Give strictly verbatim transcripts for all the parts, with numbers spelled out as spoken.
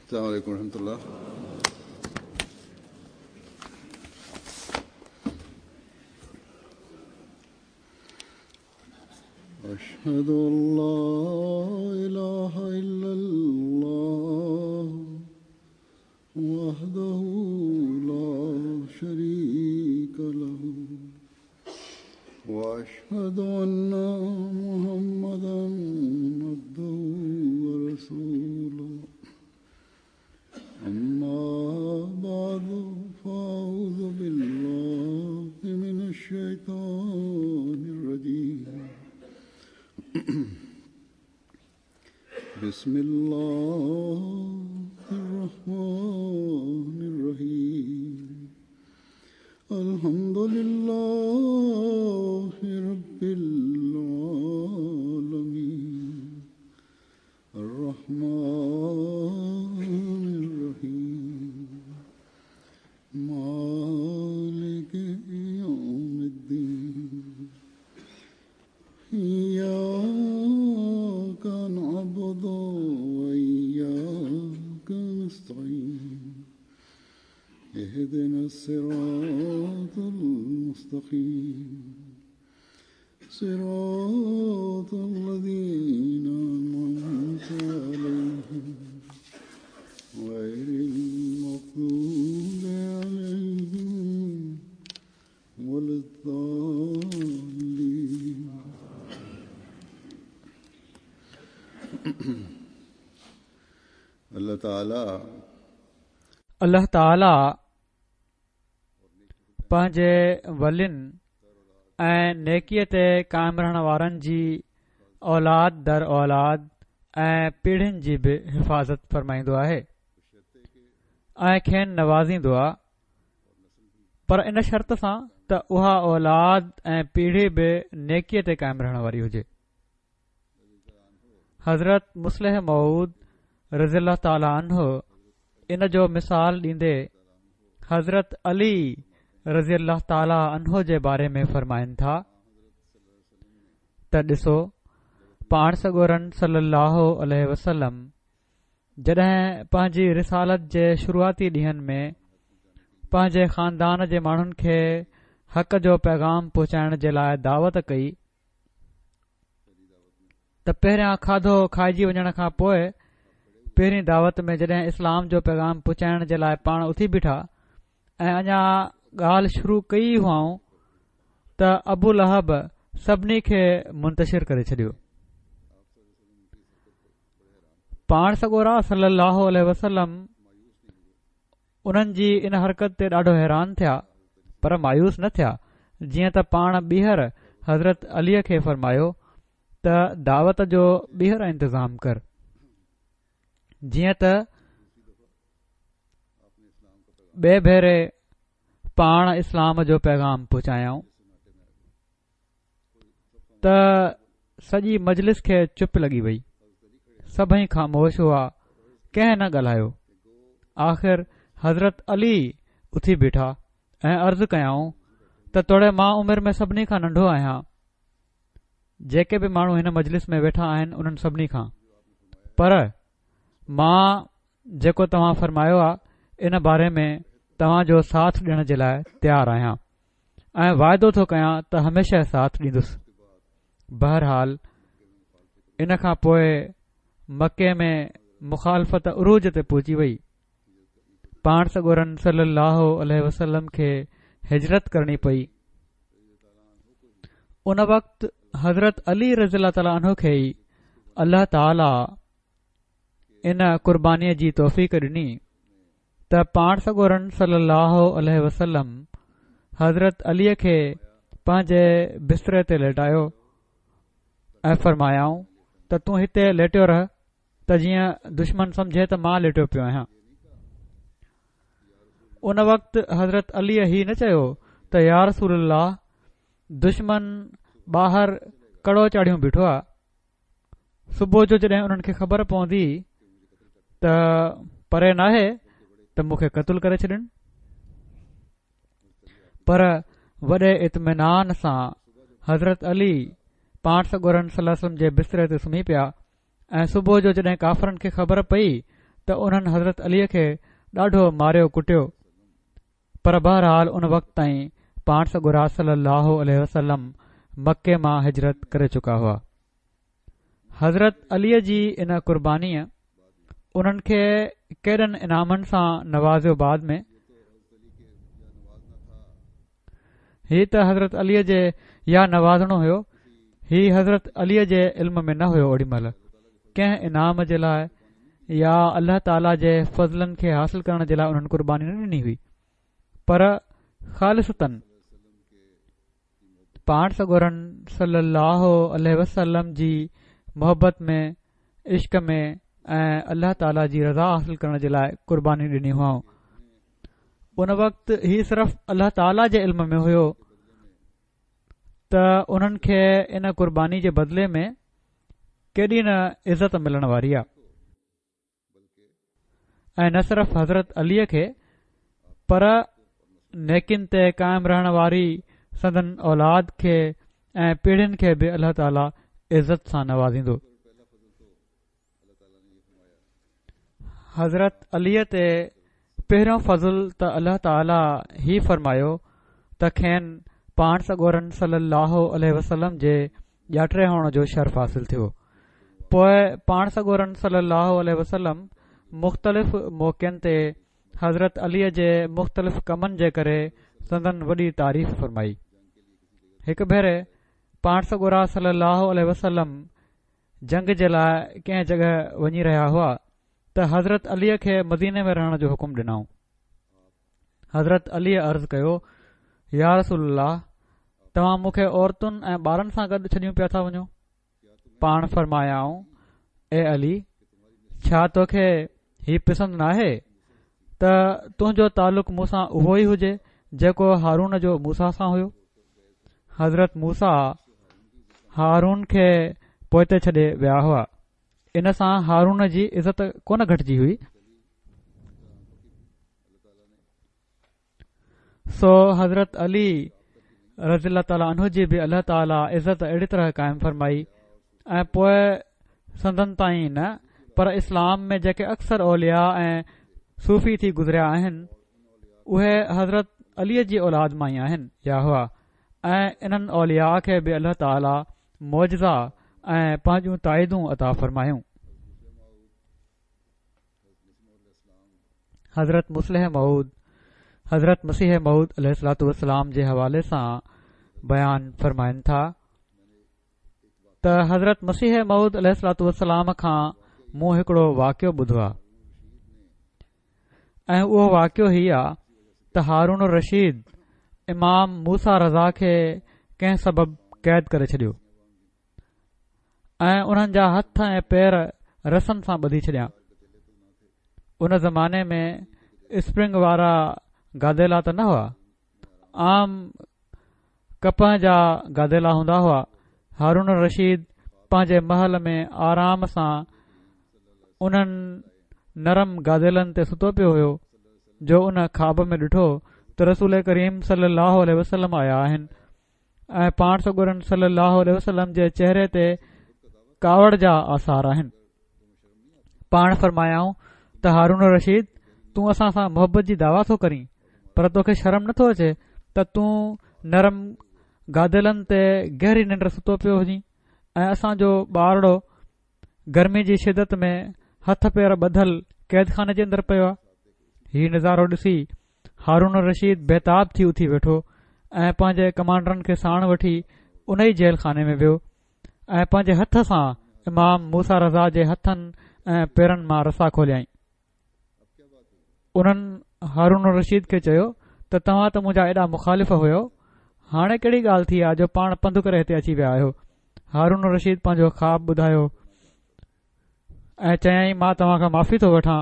السلام عليكم ورحمة الله. أشهد أن لا إله إلا الله وحده لا شريك له وأشهد أن محمدا عبده ورسوله. أما بعد فأعوذ بالله من الشيطان الرجيم. بسم الله الرحمن الرحيم. الحمد لله رب العالمين الرحمن الرحيم مالك يوم الدين. إياك نعبد وإياك نستعين. اهدنا الصراط المستقيم صراط الذين أنعمت عليهم غير المغضوب عليهم ولا الضالين. الله تعالى الله تعالى پنهنجي ولين ۽ نيڪيءَ تي قائم رهڻ وارن جي اولاد در اولاد ۽ پيڙهين جي به حفاظت فرمائيندو آهي ۽ کين نوازيندو آهي، پر ان شرط سان ته اها اولاد ۽ پيڙهي به نيڪيءَ تي قائم رهڻ واري هجي. حضرت مصلح موعود رضي الله تعالٰي عنه ان جو مثال ڏيندي حضرت علي رضي الله تعالٰي عنه جي باري ۾ فرمائن ٿا ته ڏسو، پاڻ سڳورن صلي الله عليه وسلم جڏهن پنهنجي رسالت جي شروعاتي ڏينهن ۾ پنهنجي خاندان جي ماڻهن کي حق جو پيغام پهچائڻ جي لاءِ دعوت ڪئي ته پهريان کاڌو کائجي وڃڻ کان پوءِ پهرين دعوت ۾ جڏهن اسلام جو پيغام پهچائڻ جي لاءِ پاڻ اٿي بيٺا ۽ اڃا ڳالهه شروع ڪئي هئائون ته ابو لهب سڀني کي منتشر ڪري ڇڏيو. پاڻ سڳورا صلي الله عليه وسلم انهن جي ان حرڪت تي ڏاڍو حيران ٿيا، پر مايوس نه ٿيا، جيئن ته پاڻ ٻيهر حضرت علي کي فرمايو ته دعوت جو ٻيهر انتظام ڪر، جيئن ته ٻئي ڀيري پاڻ اسلام جو پيغام پهچايائون ته سڄي مجلس کي چپ لڳي وئي. سڀئي خاموش هئا، ڪنهن نه ڳالهايو. آخر حضرت علي اٿي بيٺا ۽ عرض ڪيائون ته توڙي مان عمر ۾ سڀني کان ننڍو آهيان، جيڪي به ماڻهو هن مجلس ۾ ويٺا آهن انهن سڀني کان، پر مان جيڪو توهان فرمايو آهي ان باري ۾ توهان جو ساٿ ڏيڻ جي لاءِ تيار آهيان ۽ واعدو ٿو ڪيان ته هميشه ساٿ ڏيندس. بهرحال ان کان پوءِ مڪي ۾ مخالفت عروج تي پهچي وئي. پاڻ سڳورن صلي الله عليه وسلم کي هجرت ڪرڻي پئي. ان وقت حضرت علي رضي الله تعالٰي عنه کي ئي الله تعاليٰ ان قربانيءَ جي توفيق ڏني ته پاڻ سڳورن صلي الله عليه وسلم حضرت علي کي پنهنجي بستري تي ليٽايو ۽ فرمايائون ته تون هتي ليٽيو رهه ته جيئن دشمن سمجهي ته مان ليٽيو پيو آهيان. ان وقت حضرت علي هي نه چيو ته يا رسول الله، دشمن ٻاهر ڪڙو چاڙهيون بيٺو آهي، صبح جو جڏهن انهن کي خبر پوندي ته پري ناهي ته مون کي قتل ڪري ڇڏن. پر وڏي اطمينان سان حضرت علي پاڻ سڳورن صلي الله عليه وسلم جي بستري تي سمهي پيا ۽ صبح جو جڏهن ڪافرن کي خبر پئي ته انهن حضرت علي کي ڏاڍو ماريو ڪٽيو، پر بهرحال ان وقت تائين پاڻ سڳورا صلي الله عليه وسلم مڪي مان هجرت ڪري چڪا هئا. حضرت علي جي ان قربانيء انهن کي ڪيڏن انعامن سان نوازيو. بعد ۾ هي ته حضرت علي جي يا نوازڻو هيو، هي حضرت علي جي علم ۾ نه هيو. اوڏي مهل ڪنهن انعام جي لاء يا الله تعاليٰ جي فضلن کي حاصل ڪرڻ جي لاء انهن قرباني نه ڏني هئي، پر خالصتاً پاڻ سڳورن صلي الله عليه وسلم جي محبت ۾ عشق ۾ ۽ الله تعاليٰ جي رضا حاصل ڪرڻ جي لاء قرباني ڏني هئائون. ان وقت هي صرف الله تعاليٰ جي علم ۾ هيو ته انهن کي ان قرباني جي بدلي ۾ ڪيڏي نه عزت ملڻ واري آهي، ۽ نه صرف حضرت علي کي پر نيڪين تي قائم رهڻ واري سندن اولاد کي ۽ پيڙهين کي به الله تعاليٰ عزت سان نوازيندو. حضرت علي تي پهريون فضل ته الله تعاليٰ هي فرمايو ته کين پاڻ سڳورن صلي الله عليه وسلم جي ڄاٽي هئڻ جو شرف حاصل ٿيو. پوءِ پاڻ سڳورن صلي الله عليه وسلم مختلف موقعن تي حضرت علي جي مختلف ڪمن جي ڪري سندن وڏي تعريف فرمائي. هڪ ڀيري پاڻ سڳورا صلي الله عليه وسلم جنگ جي لاءِ ڪنهن جڳهه وڃي رهيا هئا ته حضرت علي کي مديني ۾ رهڻ جو حڪم ڏنائون. حضرت علي عرض ڪيو، يا رسول الله، توهان مون کي عورتن ۽ ٻارن سان گڏ ڇڏيون پيا ٿا وڃو؟ پاڻ فرمايائون، اي علي، ڇا توکي هي پسند ناهي ته تنهنجو تعلق مون سان اهو ئي هجي جيڪو هارون جو موسيٰ سان هيو؟ حضرت موسيٰ هارون کي پوئتي ڇڏي ويا هئا، ان سان هارون جي عزت ڪونه گهٽجي هئي. سو حضرت علي رضي الله تعاليٰ عنه جي به الله تعاليٰ عزت اهڙي طرح قائم فرمائي ۽ پوءِ سندن تائين نه پر اسلام ۾ جيڪي اڪثر اولياء ۽ صوفي ٿي گذريا آهن اهي حضرت علي جي اولاد مان ئي آهن يا هئا، ۽ انهن اولياء کي به الله تعاليٰ معجزا ۽ پنهنجون تائيدون عطا فرمايون. حضرت مصلح موعود حضرت مسيح موعود عليه الصلوة والسلام جي حوالي سان بيان فرمائن ٿا ته حضرت مسيح موعود عليه الصلوة والسلام کان مون هڪڙو واقعو ٻڌو آهي، ۽ اهو واقعو هي آهي ته هارون الرشيد امام موسيٰ رضا کي ڪنهن سبب قيد ڪري ڇڏيو ۽ انهن جا هٿ ۽ پير رسن سان ٻڌي ڇڏيا. ان زماني ۾ اسپرنگ وارا گاديلا ته نه هئا، عام ڪپهه جا گاديلا هوندا هئا. هارون الرشيد پنهنجي محل ۾ آرام سان انهن نرم گاديلن تي ستو پيو هيو جو ان خواب ۾ ڏٺو ته رسول ڪريم صلي الله عليه وسلم آيا آهن ۽ پاڻ سڳورن صلي الله عليه وسلم جي چهري تي ڪاوڙ جا آثار آهن. پاڻ فرمايائون ته هارون الرشيد، تون اسان سان محبت جي دعويٰ ٿو ڪرين، پر توکي شرم نٿو اچي ته تون نرم گاديلن تي گهري ننڊ ستو پيو هجين ۽ اسان جو ٻارڙو گرمي جي شدت ۾ هٿ پير ٻڌل قيد خاني جي اندر پيو آهي؟ هي نظارو ڏسي هارون الرشيد بيتاب ٿي اٿي ويٺو ۽ پنهنجي ڪمانڊرن کي ساڻ وٺي ان ئي جيل خاني ۾ ويو ۽ پنهنجي هٿ سان امام موسيٰ رضا جي هٿن ۽ پيرن مان رسا کوليائين. انهن هارون الرشيد کي چيو ته توهان ته منهنجا ايڏا مخالف هيو، هاڻي ڪهڙي ڳالهه ٿي آهي جو پاڻ پنڌ ڪري هتي اچي ويا آهيو؟ هارون الرشيد پنهنجو خواب ٻڌايو ۽ چيائين، مان توهان کان معافي ٿو وٺان،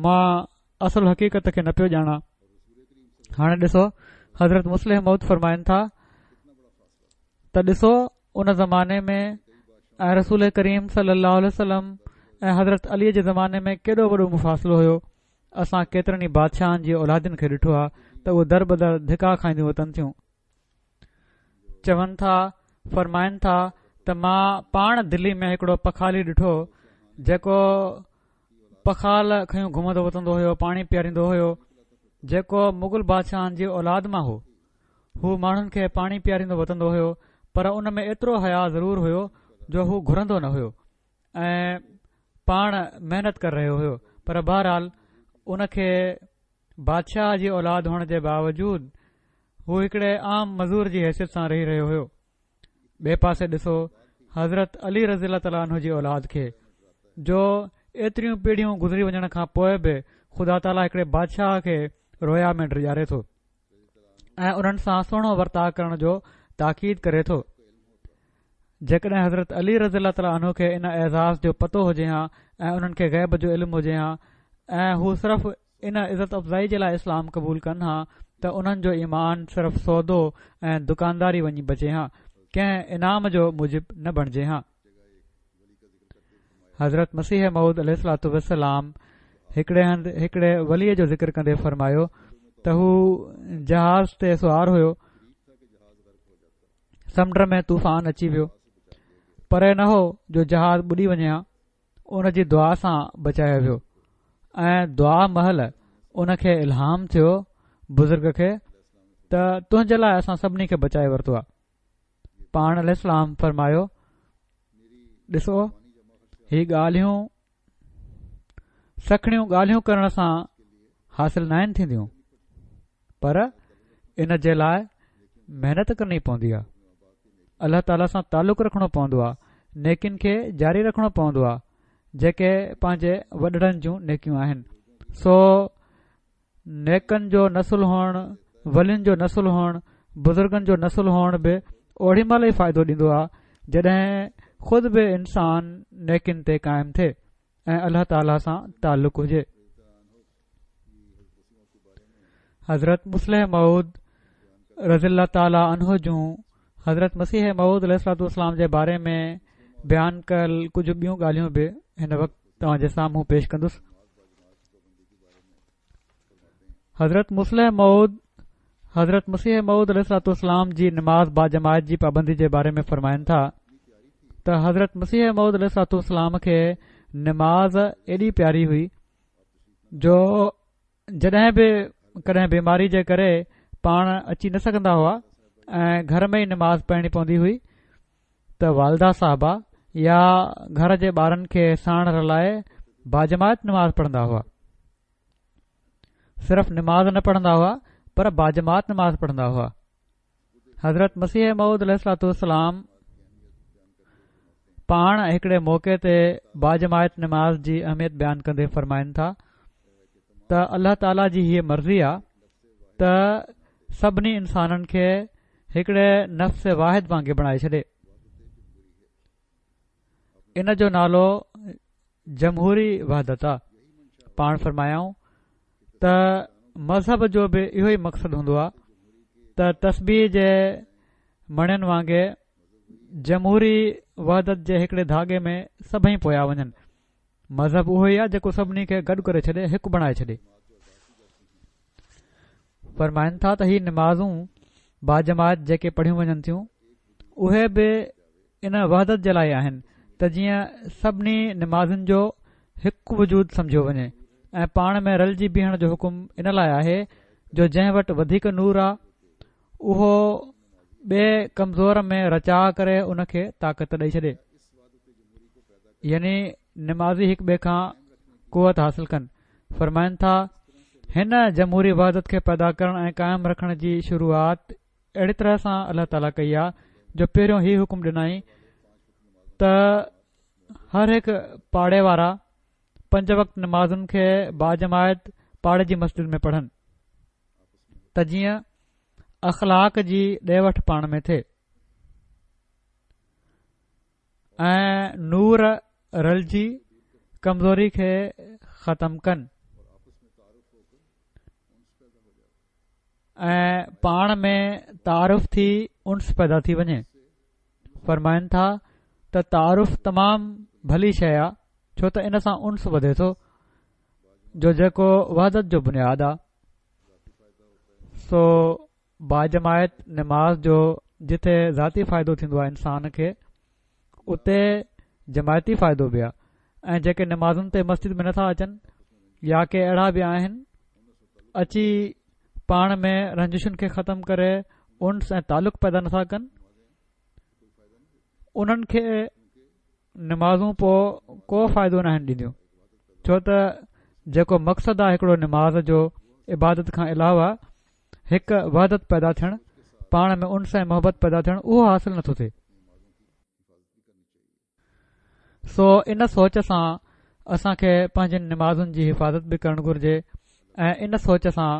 مان اصل حقيقت کي نه پيو ڄاڻان. هاڻي ڏسو، حضرت مصلح موعود فرمائن ٿا ته ڏسو، ان زماني ۾ ۽ رسول ڪريم صلي الله عليه وسلم ۽ حضرت علي جي زماني ۾ ڪيڏو وڏو مفاصلو هيو. اسان ڪيترن ئي بادشاهن جي اولادن کي ڏٺو آهي ته اهي در بدر ڌڪا کائينديون وتن ٿيون. چون ٿا، فرمائن ٿا ته مان پاڻ دلي ۾ هڪڙو پخالي ڏٺو جيڪو پخال کنيو گهمندو وتندو هيو، پاڻي پياريندو هيو، جيڪو مغل بادشاهن جي اولاد مان هو. هو ماڻهن کي پاڻي پياريندو وتندو هيو، پر ان ۾ ايترو حيا ضرور هيو جو هو گهرندو نه هيو ۽ پاڻ محنت ڪري رهيو هيو. پر بهرحال ان کي بادشاهه جي اولاد هئڻ جي باوجود هو هڪڙي عام مزور جي حيثيت سان رهي رهيو هيو. ٻئي پاسي ڏسو حضرت علي رضي الله تعاليٰ عنه جي اولاد کي، جو ايتريون پيڙهيون گذري وڃڻ کان پوءِ به خدا تعاليٰ هڪڙي بادشاهه کي رويا ۾ ڊيڄاري ٿو ۽ انهن سان سهڻو ورتاءُ ڪرڻ جو تاڪيد ڪري ٿو. جيڪڏهن حضرت علي رضي الله تعاليٰ عنه کي ان اعزاز جو پتو هجي ها ۽ انهن کي غيب جو علم هجي ها ۽ هو صرف ان عزت افزائي جي لاءِ اسلام قبول ڪن ها ته انهن جو ايمان صرف سودو ۽ دڪانداري وڃي بچي ها، ڪنهن انعام جو موجب نه بڻجي ها. حضرت مسيح موعود عليه الصلوة والسلام هڪڙي هنڌ هڪڙي وليءَ جو ذڪر ڪندي فرمايو ته هو جهاز تي سوار هيو، سمنڊ ۾ طوفان اچي ويو، پري نه هو جو جهاز ٻڏي وڃي ها، ان جي دعا سان بچايو ويو ۽ دعا مهل ان کي الهام ٿيو بزرگ کي ته تنهنجي لاءِ اسان سڀني کي بچائي ورتو آهي. پاڻ عليه السلام فرمايو، ڏسو هي ڳالهيون سکڻيون ڳالهيون ڪرڻ سان حاصل ناهن ٿينديون، پر ان جي لاءِ محنت ڪرڻي پوندي آهي، الله تعاليٰ سان تعلق رکڻو پوندو آهي، نيڪين کي جاري رکڻو پوندو آهي جيڪي پنهنجي وڏڙن جون نيڪيون آهن. سو نيڪن جو نسل هئڻ، ولين جو نسل هئڻ، بزرگن جو نسل هئڻ به اوڏي مهل ئي فائدو ڏيندو آهي جڏهن خود به انسان نيڪين تي قائم ٿئي ۽ الله تعاليٰ سان تعلق هجي. حضرت مصلح موعود رضي الله تعاليٰ عنه جون حضرت مسيح موعود عليه الصلوة والسلام جي باري ۾ بيان ڪيل ڪجهه ٻيون ڳالهيون به هن وقت توهان جي سامهون پيش ڪندس. حضرت مصلح موعود حضرت مسيح موعود عليه الصلوة والسلام جي نماز باجماعت جي پابندي جي باري ۾ فرمائن ٿا ته حضرت مسيح موعود عليه الصلوة والسلام کي نماز ايڏي پياري هئي جو جڏهن به ڪڏهن بيماري جي ڪري پاڻ اچي نه سگهندا هئا ۽ گهر ۾ ئي نماز پڙهڻي پوندي هئي ته والده صاحبه يا گهر جي ٻارن کي ساڻ رلائي باجماعت نماز پڙهندا هئا. صرف نماز نه پڙهندا هئا پر باجماعت نماز پڙهندا هئا. حضرت مسيح موعود عليه الصلوة والسلام پاڻ هڪڙي موقعي تي باجماعت نماز جي اهميت بيان ڪندي فرمائن ٿا ته الله تعاليٰ جي هيءَ مرضي آهي ته سڀني انسانن کي هڪڙي نفس واحد وانگي بڻائي ڇڏي. ان جو نالو جمهوري وحدت آهي. پاڻ فرمايائون ته مذهب جو به اهو ئي مقصد هوندو آهي ته تسبيح جي مڻين وانگي جمهوري وحدت جي هڪڙي ڌاڳي ۾ سڀئي پويا وڃن. مذهب اهو ئي آهي جيڪو سڀني کي گڏ ڪري ڇڏي، هڪ بڻائي ڇڏي. فرمائن ٿا ته هي نمازون باجماعت جيڪي پڙهيون وڃن ٿيون اهي به ان وحدت جي لاءِ آهن ته جيئن سڀني نمازن جو هڪ وجود سمجهيو وڃي ۽ پاڻ ۾ رلجي بيهڻ جو حڪم ان لاءِ آهي جو جنهن وٽ وڌيڪ نور آهي اهو ٻئي ڪمزور ۾ رچاءُ ڪري ان کي طاقت ڏئي ڇڏي، يعني نمازي هڪ ٻئي کان قوت حاصل ڪن. فرمائن ٿا هن جمهوري وحدت کي پيدا ڪرڻ ۽ قائم رکڻ جي شروعات اهڙي طرح سان الله تعاليٰ ڪئي آهي جو پهريون هي حڪم ڏنائين ته هر هڪ پاڙي وارا پنج وقت نمازن کي باجماعت پاڙي جي مسجد ۾ پڙهن ته جيئن اخلاق جي ڏي وٺ پاڻ ۾ ٿئي ۽ نور رلجي ڪمزوري کي ختم ڪن ۽ پاڻ ۾ تعارف ٿي انس پيدا ٿي وڃي. فرمائن ٿا ته تعارف تمام ڀلي شيءِ آهي ڇو ته ان سان انس وڌي ٿو جو جيڪو وحدت جو بنياد آهي. سو باجماعت نماز جو جتي ذاتي فائدو ٿيندو آهي انسان کي، اتي جماعتي فائدو به آهي ۽ جيڪي نمازن تي مسجد ۾ نٿا اچن يا ڪي اهڙا به آهن اچي پاڻ ۾ رنجشن کي ختم ڪري انس ۽ تعلق پيدا نٿا ڪن، انهن کي نمازون پوءِ ڪو فائدو ناهن ڏينديون، ڇو ته جيڪو مقصد آهي هڪڙو نماز جو عبادت کان علاوه هڪ وحدت پيدا ٿيڻ، پاڻ ۾ انس ۽ محبت پيدا ٿيڻ، اهو حاصل نٿو ٿئي. سو ان سوچ سان اسان کي پنهنجين نمازن جي حفاظت به ڪرڻ گهرجي ۽ ان سوچ سان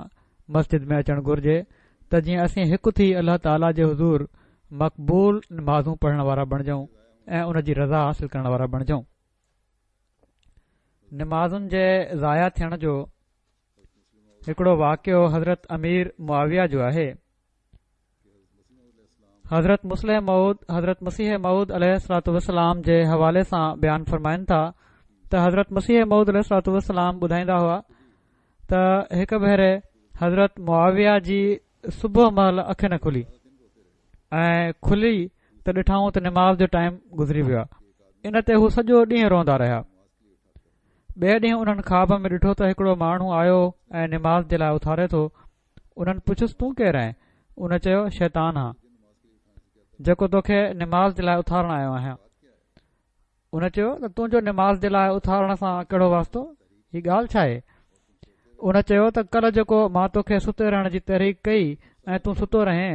مسجد ۾ اچڻ گهرجي ته جيئن اسين هڪ ٿي الله تعاليٰ جي حضور مقبول نمازون پڙهڻ وارا بڻجون ۽ ان جي رضا حاصل ڪرڻ وارا بڻجون. نمازن جي ضايع ٿيڻ جو هڪڙو واقعو حضرت امير معاويه جو آهي. حضرت مصلح موعود حضرت مسيح موعود عليه الصلوة والسلام جي حوالي سان بيان فرمائن ٿا ته حضرت مسيح موعود عليه الصلوة والسلام ٻڌائيندا هئا ته هڪ ڀيري حضرت معاويه جي صبح مهل اک نه کلي ۽ کلي ته ڏٺائون ته نماز جو ٽائيم گذري ويو آهي. ان تي هو سڄو ڏينهن روئندا رهيا. ٻئي ڏينهن انهن خواب ۾ ڏٺو ته هڪڙو ماڻهو آيو ۽ نماز جي لاءِ اٿاري ٿو. انهن پڇيس تون ڪير آهين؟ ان چيو شيطان آهيان جيڪو توکي نماز جي لاءِ اٿارڻ آيو آهيان. ان چيو ته تنهنجو نماز جي لاءِ اٿارڻ سان ڪهڙو واسطو، هي ڳالهه ڇا آهي؟ ان چيو ته ڪلهه جيڪو مان توکي ستي رهڻ جي تحريڪ ڪئي ۽ تون ستو رهين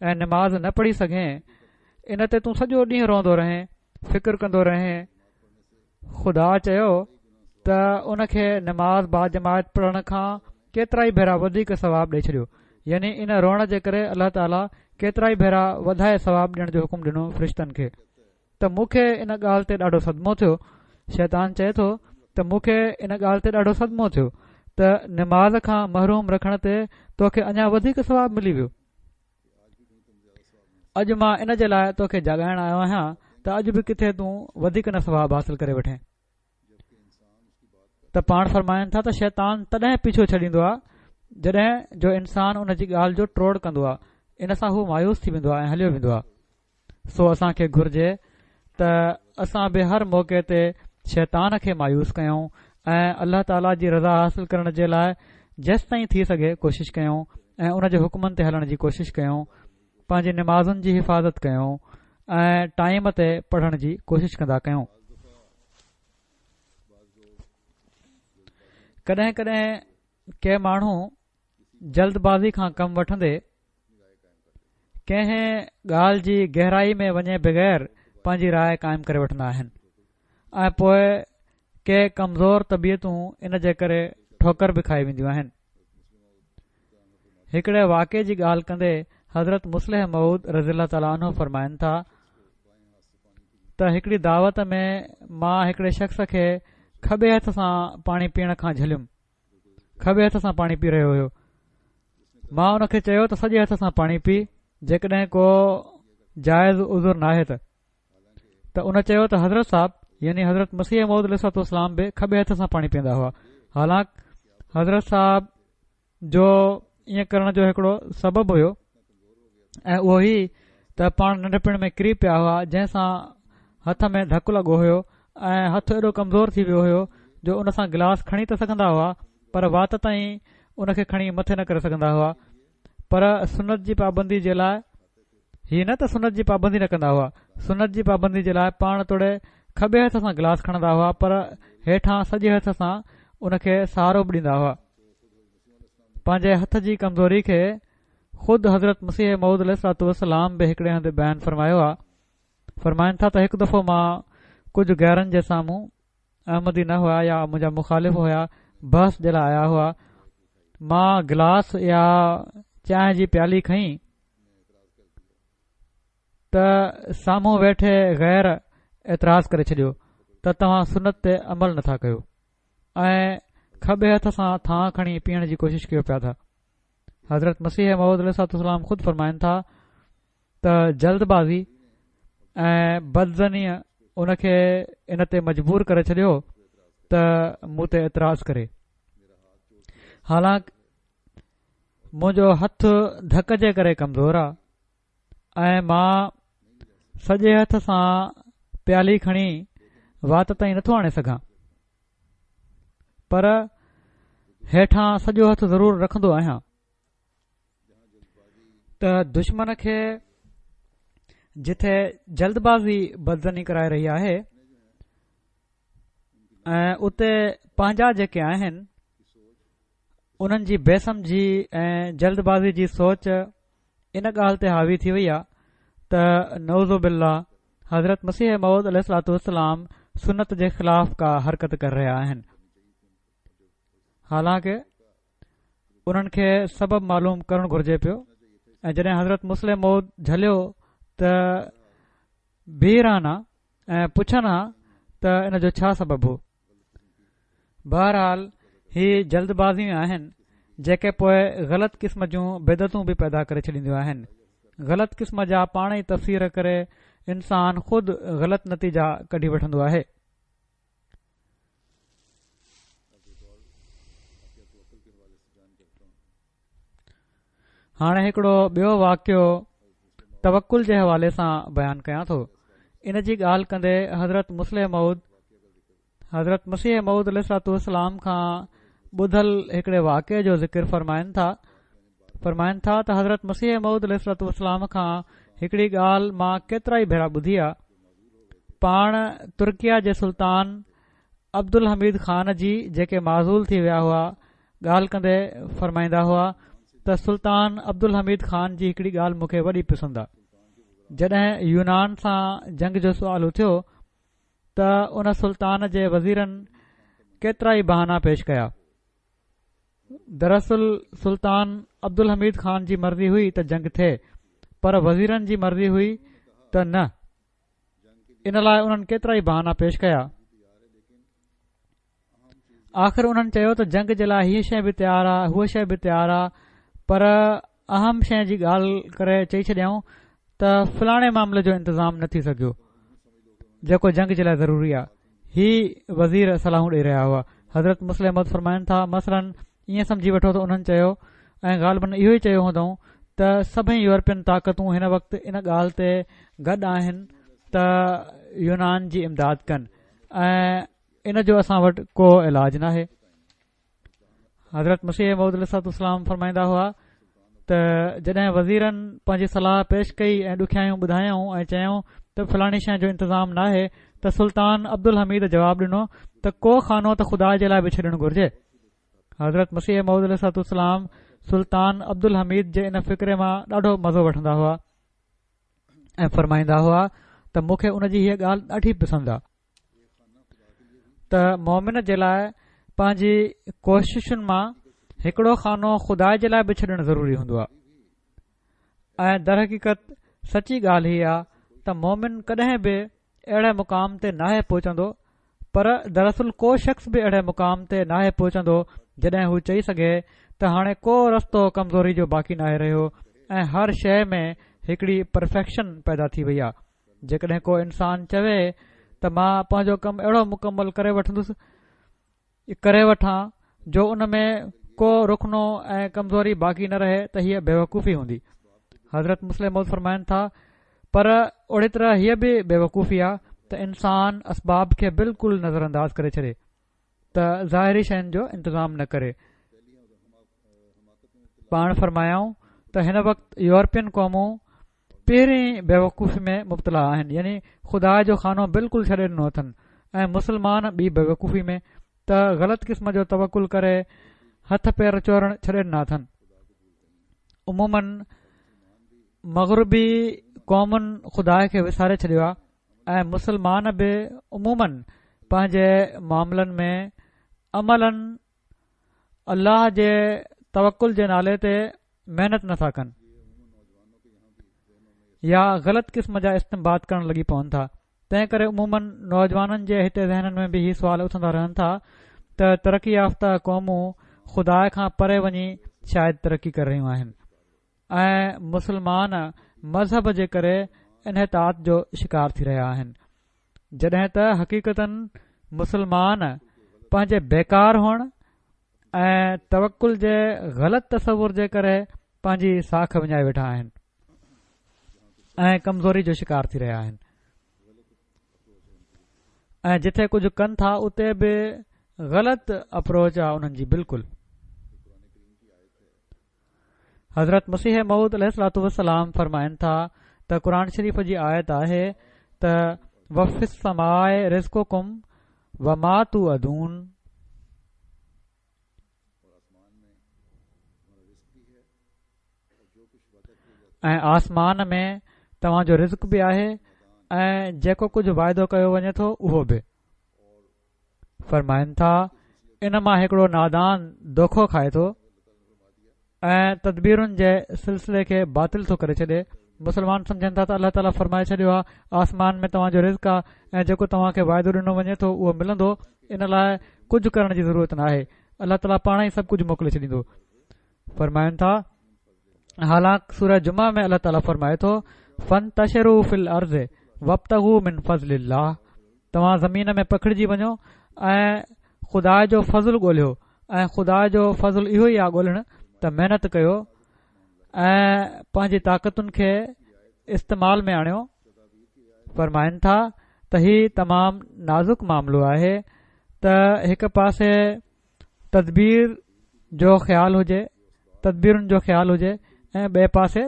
۽ نماز نه پڙهي سگهين، ان تي تون سڄو ڏينهن روئندو رهين، فڪر ڪندو رهين. خدا چيو ته ان کي نماز باجماعت پڙهڻ کان ڪيترائي ڀيرا وڌيڪ ثواب ڏئي ڇڏيو، يعني ان روئڻ جي ڪري الله تعاليٰ ڪيترائي ڀيرا وڌائي ثواب ڏيڻ جو حڪم ڏنو فرشتن کي. ته مون کي ان ڳالهه تي ڏاڍو صدمو ٿيو. شيطان چئي ٿو ته مون کي ان ڳالهه تي ڏاڍو صدمو ٿيو ته نماز کان محروم رکڻ تي توکي اڃا وڌيڪ ثواب ملي ويو. اڄ مان ان جي لاءِ توکي جاڳائڻ آيو آهيان ته اڄ به ڪٿي تون وڌيڪ نه ثواب حاصل ڪري وٺين. ته پاڻ فرمائن ٿا ته شيطان تڏهن پيڇو ڇڏيندو آهي جڏهن جو انسان ان جي ڳالهه جو ٽوڙ ڪندو آهي، ان سان هو مايوس ٿي ويندو آهي ۽ هليو ويندو آهي. سو اسان کي گهرجي ته اسان به هر موقعي تي شيطان کي مايوس ڪيون ۽ الله تعاليٰ جي رضا حاصل ڪرڻ جي لاءِ جيستائين ٿي سگهي ڪوشش ڪيون ۽ ان جي حڪمن تي هلڻ جي ڪوشش ڪيون، پنهنجي نمازن جي حفاظت ڪيون ۽ ٽائيم تي پڙهڻ جي ڪوشش ڪندا ڪيون. ڪڏهن ڪڏهن ڪي ماڻهو جلدبازي کان ڪم وٺندي ڪنهن ڳالهه جي گهرائي ۾ وڃي بغير پنهنجي راءِ قائم ڪري وٺندا آهن ۽ پوءِ ڪي ڪمزور طبيعتون ان جي ڪري ٺوڪر به کائي وينديون آهن. هڪڙي واقعي جي ڳالهه ڪندي حضرت مصلح موعود رضي الله تعاليٰ عنه فرمائن ٿا ته هڪڙي دعوت ۾ مان هڪڙي شخص کي کٻي هٿ سان پاڻي پيئڻ کان جهليم. کٻي هٿ سان پاڻي پي رهيو هيو. مان ان کي چيو ته سڄي هٿ سان پاڻي پي، جيڪڏهن ڪو جائز عذر ناهي ته. ته ان چيو ته حضرت صاحب يعني حضرت مسيح موعود عليه الصلوة والسلام به کٻي هٿ سان پاڻي پيئندا هئا. حالانڪ حضرت صاحب جو ائين ڪرڻ جو هڪڙو سبب هيو ۽ اهو هي ته پاڻ ننڍپڻ ۾ ڪري پيا هئا، جنهن سان هٿ ۾ ڌڪ لڳو هيو ۽ هٿ ايڏو ڪمزور ٿي ويو هيو جو ان سان گلاس کڻي ته سگهندا هئا پر وات تائين ان کي کڻي مٿي نه ڪري سگهندا هئا. پر سنت جي پابندي جي لاءِ هي نه ته سنت جي پابندي نه ڪندا هئا، سنت جي پابندي جي لاءِ پاڻ توڙي کٻي هٿ سان گلاس کڻندا هئا پر هيٺان سڄي هٿ سان ان کي سهارو به ڏيندا هئا. پنهنجي هٿ جي ڪمزوري کي خود حضرت مسيح موعود عليه الصلوة والسلام به هڪڙي هنڌ بيان فرمايو آهي. فرمائن ٿا ته هڪ دفعو مان ڪجهه غيرن جي سامهون، احمدي نه هئا يا منهنجا مخالف هئا، بحث جي لاءِ آيا هئا. مان گلاس يا چانهه جي پيالي کنئي ته سامهون ويٺي غير اعتراض ڪري ڇڏيو ته توهان سنت تي عمل نٿا ڪيو ۽ کٻي هٿ سان ٿانءُ کڻي پيئڻ جي ڪوشش ڪيو پيا ٿا. حضرت مسيح موعود عليه الصلوة والسلام خود فرمائن ٿا ته جلدبازي ۽ بدظنيءَ ان کي ان تي مجبور ڪري ڇڏيو ته مون تي اعتراض ڪري، حالانڪ منهنجو هٿ ڌڪ جي ڪري ڪمزور آهي ۽ مان سڄي هٿ سان پيالي کڻي وات تائين نٿو آڻي سگهان. پر هيٺان سڄو هٿ ضرور رکندو آهيان ته دشمن کي جٿي جلدبازي بدظني ڪرائي رهي آهي ۽ اتي پنهنجا جيڪي آهن انهن جي بي سمجهي ۽ جلدبازي جي سوچ ان ڳالهه تي حاوي ٿي وئي آهي ته نعوذ بالله حضرت مسيح موعود عليه الصلوة والسلام سنت جي خلاف ڪا حرڪت ڪري رهيا آهن. حالانڪه انهن کي سبب معلوم ڪرڻ گهرجي پيو ۽ جڏهن حضرت مصلح موعود جهليو ته بيهي رهن ها ۽ پڇن ها ته ان جو ڇا سبب هو. بهرحال هي جلدبازيون آهن جيڪي پوء غلط قسم جون بدعتون به پيدا ڪري ڇڏينديون آهن. غلط قسم جا پاڻ ئي تفسير ڪري انسان خود غلط نتيجا ڪڍي وٺندو آهي. هاڻي هڪڙو ٻيو واقعو توڪل جي حوالي سان بيان ڪيان ٿو. ان جي ڳالهه ڪندي حضرت مصلح موعود حضرت مسيح موعود عليه الصلوة والسلام کان ٻڌل هڪڙي واقعي جو ذڪر فرمائن ٿا. فرمائن ٿا ته حضرت مسيح موعود عليه الصلوة والسلام کان هڪڙي ڳالهه مان ڪيترا ئي ڀيرا ٻڌي آ. پاڻ ترڪيه جي سلطان عبدالحميد خان جي جيڪي معزول ٿي ويا هئا ڳالهه ڪندي فرمائيندا هئا ته سلطان عبدالحميد خان جي هڪڙي ڳالهه مون کي وڏي پسند آ. جڏهن يونان سان جنگ جو سوال اٿيو ته ان سلطان جي وزيرن ڪيترا ئي بهانا پيش ڪيا. دراصل سلطان عبدالحميد خان جي مرضي هئي ته جنگ ٿئي پر وزيرن جي مرضي هئي ته نه، ان لاء انهن ڪيترا ئي بهانا پيش ڪيا. آخر انهن چيو ته جنگ جي لاء هيء شيء به تيار آ، هوء شيء به تيار آ، پر اهم شيء جي ڳالهه ڪري چئي ڇڏيائون ته فلاڻي معاملي جو انتظام نه ٿي سگهيو جيڪو جنگ جي لاء ضروري آ. هي وزير صلاحون ڏئي رهيا هئا. حضرت مصلح موعود فرمائن ٿا مثلاً ائين سمجهي وٺو ته انهن چيو ۽ غالباً اهو ئي چيو هوندائون ته سڀئي يورپين طاقتون هن وقت ان ڳالهه تي گڏ آهن ته يونان جي امداد ڪن ۽ ان جو اسان وٽ ڪو علاج ناهي. حضرت مسيح موعود عليه الصلوة والسلام فرمائيندا هئا ته جڏهن وزيرن پنهنجي صلاح پيش ڪئي ۽ ڏکيائيون ٻڌايائون ۽ چيائون ته فلاڻي شيء جو انتظام ناهي ته سلطان عبدالحميد جواب ڏنو ته ڪو خانو ته خدا جي لاء به ڇڏڻ گهرجي. حضرت مسيح موعود عليه الصلوة والسلام سلطان عبدالحميد جي ان فقري مان ڏاڍو مزو وٺندا هئا ۽ فرمائيندا هئا ته مون کي ان جي هيء ڳالهه ڏاڍي پسند آ ته مومن جي لاء پنهنجي ڪوششن مان هڪڙو خانو خدا جي لاء به ڇڏڻ ضروري هوندو آ ۽ درحقيقت سچي ڳالهه هي آ ته مومن ڪڏهن به اهڙي مقام تي ناهي پهچندو، پر دراصل ڪو شخص به اهڙي مقام تي ناهي پهچندو جڏهن هو چئي سگهي ته هاڻي ڪو رستو ڪمزوري جو باقي ناهي رهيو ۽ هر شيء ۾ هڪڙي پرفيڪشن پيدا ٿي وئي آ. جيڪڏهن ڪو انسان چوي ته مان پنهنجو ڪم اهڙو مڪمل ڪري وٺندس ڪري وٺان جو ان ۾ ڪو رخنو ۽ ڪمزوري باقي نه رهي ته هيء بيوقوفي هوندي. حضرت مصلح موعود فرمائن ٿا پر اهڙي طرح هيء به بيوقوفي آ ته انسان اسباب کي بلڪل نظر انداز ڪري ڇڏي ته ظاهري شين جو انتظام نه ڪري. پاڻ فرمايائون ته هن وقت يورپين قومون پهرين بيوقوفي ۾ مبتلا آهن، يعني خدا جو خانو بلڪل ڇڏي ڏنو اٿن ۽ مسلمان ٻي بيوقوفي ۾ ته غلط قسم جو توڪل ڪري هٿ پير چورڻ ڇڏي ڏنا اٿن. عموماً مغربي قومن خدا کي وساري ڇڏيو آهي ۽ مسلمان به عموماً پنهنجي معاملن ۾ عملاً الله جي توڪل جي نالي تي محنت نٿا ڪن يا غلط قسم جا استنباط ڪرڻ لڳي پون ٿا. تنهن ڪري عموماً نوجوانن جي هتي ذهنن ۾ به هي سوال اٿندا رهن ٿا ته ترقي يافته قومون خدا کان پري وڃي شايد ترقي ڪري رهيون آهن ۽ مسلمان مذهب جي ڪري انحطاط جو شڪار ٿي رهيا آهن، جڏهن ته حقيقتاً مسلمان پنهنجي بيڪار هئڻ ۽ توڪل جي غلط تصور جي ڪري پنهنجي ساک وڃائي ويٺا آهن ۽ ڪمزوري جو شڪار ٿي رهيا آهن ۽ جٿي ڪجهه ڪن ٿا اتي به غلط اپروچ آ انهن جي بلڪل. حضرت مسيح موعود عليه الصلوة والسلام فرمائن ٿا ته قرآن شريف جي آيت آهي ته وفي السماء رزقڪم وما توعدون، ۽ آسمان ۾ توهان جو رزق به آهي ۽ جيڪو ڪجهه واعدو ڪيو وڃي ٿو اهو به. فرمائن ٿا ان مان هڪڙو نادان دوکو کائي ٿو ۽ تدبيرن جي سلسلي کي باطل ٿو ڪري ڇڏي. مسلمان سمجهن ٿا ته الله تعاليٰ فرمائي ڇڏيو آهي آسمان ۾ توهان جو رزق آهي ۽ جيڪو توهان کي واعدو ڏنو وڃي ٿو اهو ملندو، ان لاء ڪجهه ڪرڻ جي ضرورت نه آهي، الله تعاليٰ پاڻ ئي سڀ ڪجهه موڪلي ڇڏيندو. فرمائن ٿا حالانڪ سورة جمعه ۾ الله تعاليٰ فرمائي ٿو فانتشروا في الارض وابتغوا من فضل الله، توهان زمين ۾ پکڙجي وڃو ۽ خدا جو فضل ڳولهيو، ۽ خدا جو فضل اهو ئي آهي ڳولهڻ ته محنت ڪيو ۽ پنهنجي طاقتن کي استعمال ۾ آڻيو. فرمائن ٿا ته هي تمام نازڪ معاملو آهي ته هڪ پاسي تدبير جو خيال هجي، تدبيرن جو خيال هجي ۽ ٻئي پاسي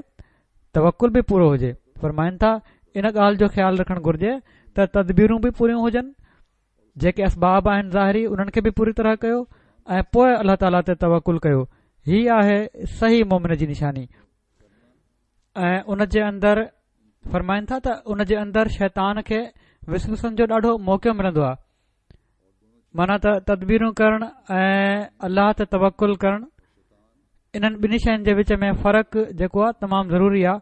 توڪل به پورو هجي. فرمائن ٿا ان ڳالهه جو خيال رکڻ گهرجي ته تدبيرون به پوريون هجن، جيڪي اسباب آهن ظاهري انهن کي به پوري طرح ڪيو ۽ پوءِ الله تعاليٰ تي توڪل ڪيو. هي آهي صحيح مومن جي نشاني. ۽ ان جي اندر فرمائن ٿا ته ان جي اندر شيطان کي وسوسن جو ڏاڍو موقعو ملندو آهي، معنيٰ ته تدبيرون ڪرڻ ۽ الله تي توڪل ڪرڻ، انهن ٻنهي شين جي وچ ۾ فرق جيڪو آهي تمام ضروري آهي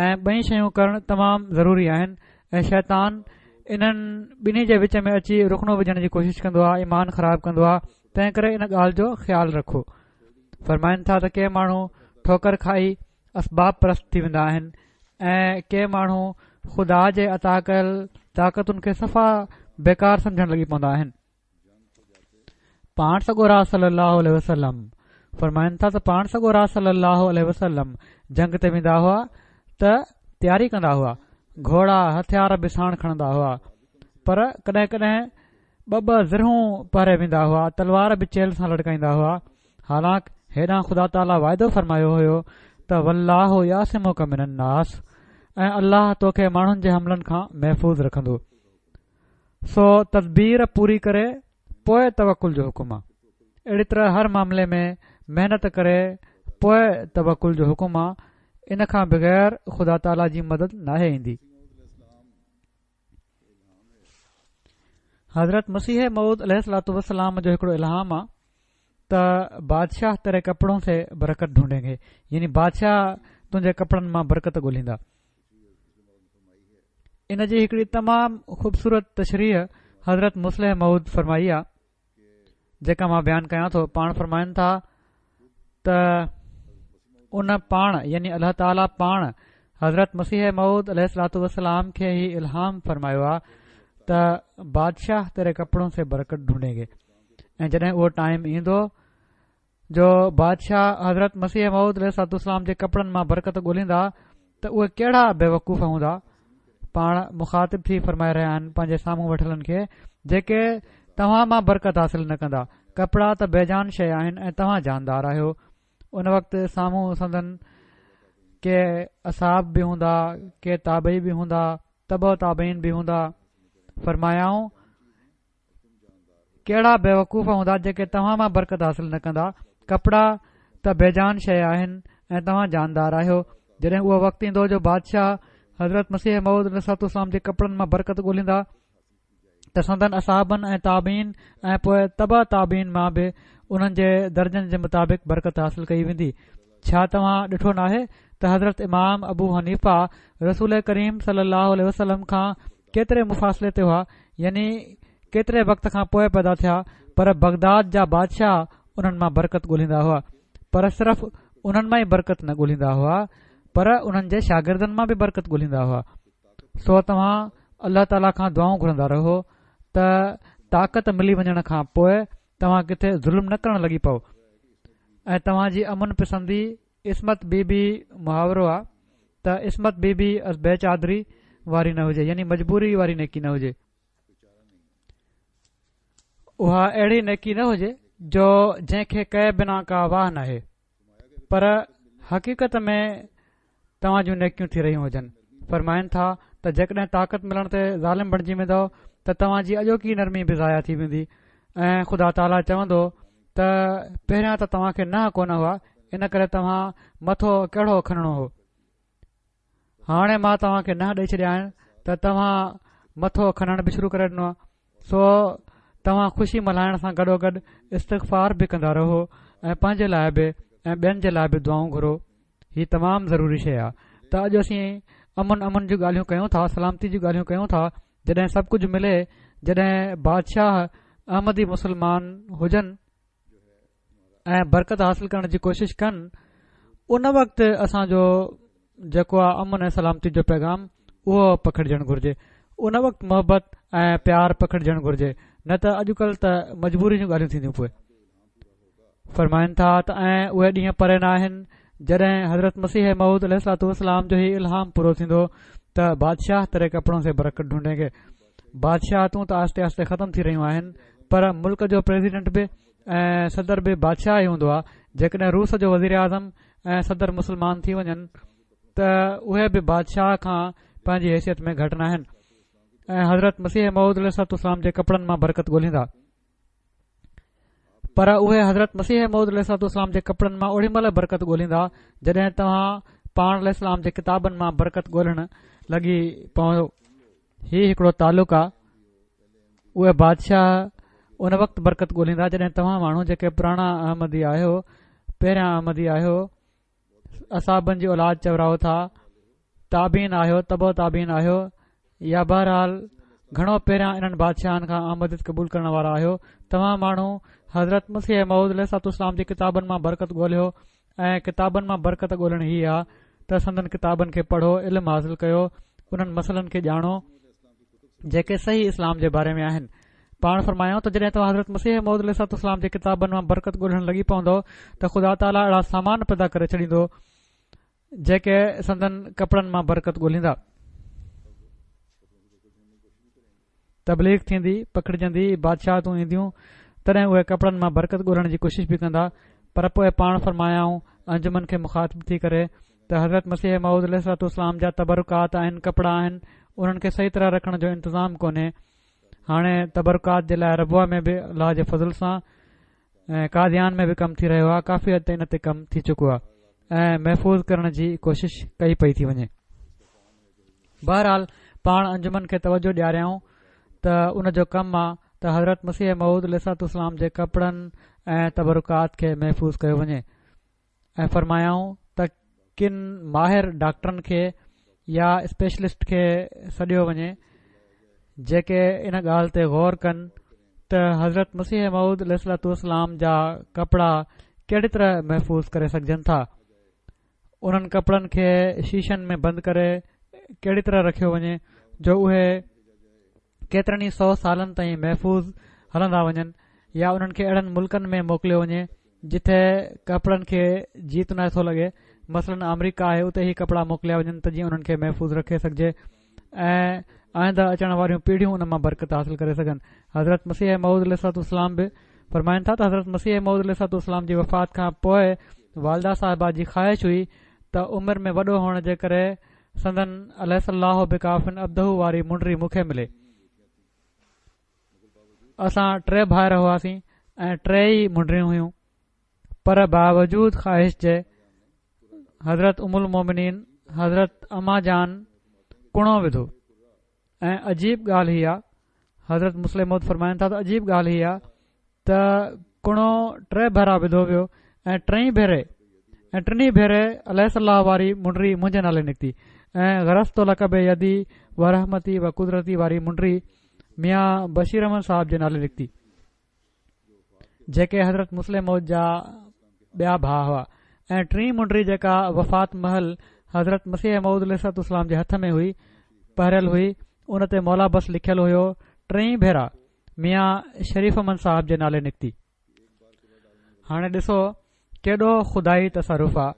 ۽ ٻئي شيون ڪرڻ تمام ضروري آهن. ۽ شيطان انهن ٻنهي جي وچ ۾ اچي رخنو وجهڻ جي ڪوشش ڪندو آهي، ايمان خراب ڪندو آهي، تنهن ڪري ان ڳالهه جو خيال رکو. فرمائن ٿا ته ڪي ماڻهو ٺوڪر کائي اسباب پرست ٿي ويندا آهن ۽ ڪي ماڻهو خدا جي عطا ڪيل طاقتن کي صفا بيڪار سمجهڻ لڳي پوندا آهن. پاڻ سڳورا صلي الله عليه وسلم فرمائن ٿا ته پاڻ سڳورا صلي الله عليه وسلم جنگ تي ويندا هئا ته تياري ڪندا هئا، گهوڙا هٿيار به ساڻ کڻندا هئا، پر ڪڏهن ڪڏهن ٻه ٻه زرهون پهري ويندا هئا، تلوار به چيلهه سان لڙڪائيندا هئا. حالانڪ هيڏانهن خدا تعاليٰ واعدو فرمايو هيو ته والله يعصمک من الناس، ۽ الله توکي ماڻهن جي حملن کان محفوظ رکندو. سو تدبير پوري ڪري پوءِ توڪل جو حڪم آ. اهڙي طرح هر معاملي ۾ محنت ڪري پوءِ توڪل جو حڪم آ، ان کان بغير خدا تعاليٰ جي مدد ناهي ايندي. حضرت مسيح موعود عليه الصلوة والسلام جو هڪڙو الهام آ ته بادشاهه تيري ڪپڙون سي برڪت ڍونڍين گي، يعني بادشاهه تنهنجي ڪپڙن مان برڪت ڳولهيندا. ان جي هڪڙي تمام خوبصورت تشريح حضرت مصلح موعود فرمائي آ، جيڪا مان بيان ڪيان ٿو. پاڻ فرمائن ٿا ته ان پاڻ يعني الله تعاليٰ پاڻ حضرت مسيح موعود عليه الصلوة والسلام کي هي الهام فرمايو آ ته بادشاهه تيري ڪپڙون سي برڪت ڍونڍين گي. ۽ جڏهن اهو ٽائيم ايندو جو بادشاهه حضرت مسيح موعود عليه الصلوة والسلام جي ڪپڙن مان برڪت ڳولهيندا ته اهي ڪهڙا بيوقوف هوندا. پاڻ مخاطب ٿي فرمائي رهيا آهن پنهنجي سامهون ويٺلن کي، جيڪي توهان مان برڪت حاصل نه ڪندا، ڪپڙا ته بيجان شيء آهن ۽ توهان جاندار آهيو. ان وقت سامهون سندن ڪي اصحاب به هوندا، ڪي تابعي به هوندا، تبع تابعين به هوندا. فرمايائون ڪهڙا بيوقوف هوندا جيڪي توهان مان برڪت حاصل نه ڪندا، ڪپڙا ته بيجان شيء آهن ۽ توهان جاندار آهيو. جڏهن اهو وقت ايندو جو بادشاهه حضرت مسيح موعود عليه الصلوة والسلام جي ڪپڙن مان برڪت ڳولهيندا ته سندن اصحابن ۽ تابعين ۽ پوءِ تبع تابعين مان به انهن جي درجن جي مطابق برڪت حاصل ڪئي ويندي. ڇا توهان ڏٺو ناهي ته حضرت امام ابو حنيفه رسول ڪريم صلي الله عليه وسلم کان ڪيتري مفاصلي تي هئا، يعني ڪيتري وقت کان پوءِ پيدا ٿيا، پر بغداد جا بادشاهه انهن مان برڪت ڳولهيندا هئا، پر صرف انهن مان ئي برڪت نه ڳولهيندا هئا پر انهن جي شاگردن مان به برڪت ڳولهيندا هئا. سو توهان الله تعاليٰ کان دعائون گهرندا رهو ته طاقت ملي وڃڻ کان پوءِ توهان ڪٿي ظلم نه ڪرڻ لڳي پئو. ۽ توهان جي امن پسندي عصمت بي بي محاورو آ ته عصمت بي بي از بي چادري واري نه هجي، يعني مجبوري واري نيڪي نه هجي. اها اهڙي نيڪي نه هجي جو جنهن کي ڪئي بنا ڪا واهه ناهي، پر حقيقت ۾ توهان جون نيڪيون ٿي رهيون هجن. فرمائن ٿا ته جيڪڏهن طاقت ملڻ تي ظالم بڻجي ويندؤ ته توهان جي اڄوڪي نرمي به ضايع ٿي ويندي ۽ خدا تعاليٰ چوندو ته پهريان ته توهان کي ننهن ڪونه هئا، ان ڪري توهان مٿو ڪهڙو کڻڻو هو، هاڻي مان توهان کي ننهن ڏئي ڇڏيا آهن ته توهان مٿو کڻڻ به شروع ڪري ڏنو آهي. سو توهان خوشي ملهائڻ سان گڏوگڏ استغفار به ڪندا رهو ۽ پنهنجي لاءِ به ۽ ٻين جي لاءِ به دعائون گهرو. هي تمام ضروري شيءِ آهي ته اڄ اسين امن امن جون ڳالهيون ڪيون ٿا، سلامتي جون ڳالهيون ڪيون ٿا. جڏهن سڀ ڪجهه ملي، جڏهن بادشاهه احمدي مسلمان هجن ۽ برڪت حاصل ڪرڻ جي ڪوشش ڪن، ان وقت اسان جو جيڪو آهي امن ۽ سلامتي جو پيغام اهو پکڙجڻ گهرجي، ان وقت محبت ۽ پيار پکڙجڻ گهرجي، نه ته اڄڪلهه ته مجبوري جون ڳالهيون ٿينديون. پوءِ فرمائن ٿا ته ۽ اهي ڏينهن پري نه آهن جڏهن حضرت مسيح موعود عليه الصلوة والسلام جو هي الهام پورو ٿيندو ته بادشاهه تيري ڪپڙون سي برڪت ڍونڍين گي. بادشاهتون ته آهستي آهستي ختم ٿي رهيون آهن، پر ملڪ جو پريزيڊنٽ به ۽ صدر به بادشاهه ئي هوندو آهي. جيڪڏهن روس جو وزير اعظم ۽ صدر مسلمان ٿي وڃن ته اهي به بادشاهه کان پنهنجي حيثيت ۾ گهٽ نه آهن ۽ حضرت مسيح موعود عليه الصلوة والسلام جي ڪپڙن مان برڪت ڳولهيندا، پر اهي حضرت مسيح موعود عليه الصلوة والسلام جي ڪپڙن مان اوڏي مهل برڪت ڳولهيندا جڏهن توهان پاڻ عليه السلام جي ڪتابن مان برڪت ڳولهڻ لڳي پوندو. هي هڪڙو تعلق آهي. اهي بادشاهه ان وقت برڪت ڳولهيندا جڏهن توهان ماڻهو جيڪي پراڻا احمدي آهيو، پهريان احمدي آهيو، اصحابن جي اولاد چورايو ٿا، تابعين آهيو، تبع تابعين آهيو، يا بهرحال گهڻو پهريان انهن بادشاهن کان احمديت قبول ڪرڻ وارا آهيو، توهان ماڻهو حضرت مسيح موعود عليه الصلوة والسلام جي ڪتابن مان برڪت ڳولهيو. ۽ ڪتابن مان برڪت ڳولهڻ هي آهي ته سندن ڪتابن کي پڙهو، علم حاصل ڪيو، انهن مسئلن کي ڄاڻو جيڪي صحيح اسلام جي باري ۾ آهن. پاڻ فرمايائون ته جڏهن توهان حضرت مسيح موعود عليه الصلوة والسلام جي ڪتابن مان برڪت ڳولهڻ لڳي پوندو ته خدا تعاليٰ اهڙا سامان پيدا ڪري ڇڏيندو جيڪي سندن ڪپڙن مان برڪت ڳولهيندا. تبليغ ٿيندي، پکڙجندي، بادشاهتون اينديون، تڏهن اهي ڪپڙن مان برڪت ڳولهڻ جي ڪوشش به ڪندا. پر پوءِ پاڻ فرمايائون انجمن کي مخاطب ٿي ڪري ته حضرت مسيح موعود عليه الصلوة والسلام جا تبرڪات آهن، ڪپڙا آهن، انهن کي صحيح طرح رکڻ جو انتظام ڪونهي. هاڻي تبرڪات جي لاءِ ربوه ۾ به الله جي فضل سان ۽ قاديان ۾ به ڪم ٿي رهيو آهي، ڪافي حد تائين ان تي ڪم ٿي چڪو آهي ۽ محفوظ ڪرڻ جي ڪوشش ڪئي پئي ٿي وڃي. بهرحال پاڻ انجمن کي توجه ڏياريائون ته ان جو ڪم آهي ته حضرت مسيح موعود عليه الصلوة والسلام جي ڪپڙن ۽ تبرڪات کي محفوظ ڪيو وڃي. ۽ فرمايائون ته ڪن ماهر ڊاڪٽرن کي يا اسپيشلسٽ کي سڏيو وڃي جيڪي ان ڳالهه تي غور ڪن ته حضرت مسيح موعود عليه الصلوة والسلام جا ڪپڙا ڪهڙي طرح محفوظ ڪري سگهجن ٿا، انهن ڪپڙن کي شيشن ۾ بند ڪري ڪهڙي طرح رکيو وڃي جو اهي ڪيترن ئي سؤ سالن تائين محفوظ هلندا وڃن، يا انهن کي اهڙن ملڪن ۾ موڪليو وڃي جتي ڪپڙن کي جيت نه ٿو لڳي، مثلاً آمريڪا آهي، اتي هي ڪپڙا موڪليا وڃن ته جيئن انهن کي محفوظ رکي سگهجي ۽ آئنده اچڻ واريون پيڙهيون ان مان برڪت حاصل ڪري سگهن. حضرت مسيح موعود عليه الصلوة والسلام به فرمائن ٿا ته حضرت مسيح موعود عليه الصلوة والسلام جي وفات کان پوءِ والده صاحبه جي خواهش هئي ته عمر ۾ وڏو هئڻ جي ڪري سندن اليس الله بڪاف عبده واري منڊري مون کي ملي. اسان ٽي ڀائر هئاسين ۽ ٽي ئي منڊريون هيون، پر باوجود خواهش جي حضرت ام المومنين حضرت اما جان ڪڻو وڌو. ۽ عجيب ڳالهه هي آهي، حضرت مصلح موعود فرمائن ٿا ته عجيب ڳالهه هي آهي ته ڪڻو ٽي ڀيرا وڌو ويو ۽ ٽئي ڀيري ۽ ٽنهي ڀيري اليس الله واري منڊري منهنجي نالي نڪتي ۽ غرست لڪ بيدي و رحمتي و قدرتي واري منڊري ميان بشير احمد صاحب جي نالي نڪتي، جيڪي حضرت مصلح موعود جا ٻيا ڀاءُ هئا. ۽ ٽين منڊري جيڪا وفات مهل حضرت مسيح موعود عليه الصلوة والسلام جي هٿ ۾ هئي، پهريل هئي، ان تي مولا بس لکيل هيو، ٽئي ڀيرا ميان شريف احمد صاحب جي نالي نڪتي. هاڻي ڏسو ڪيڏو خدائي تصرف آ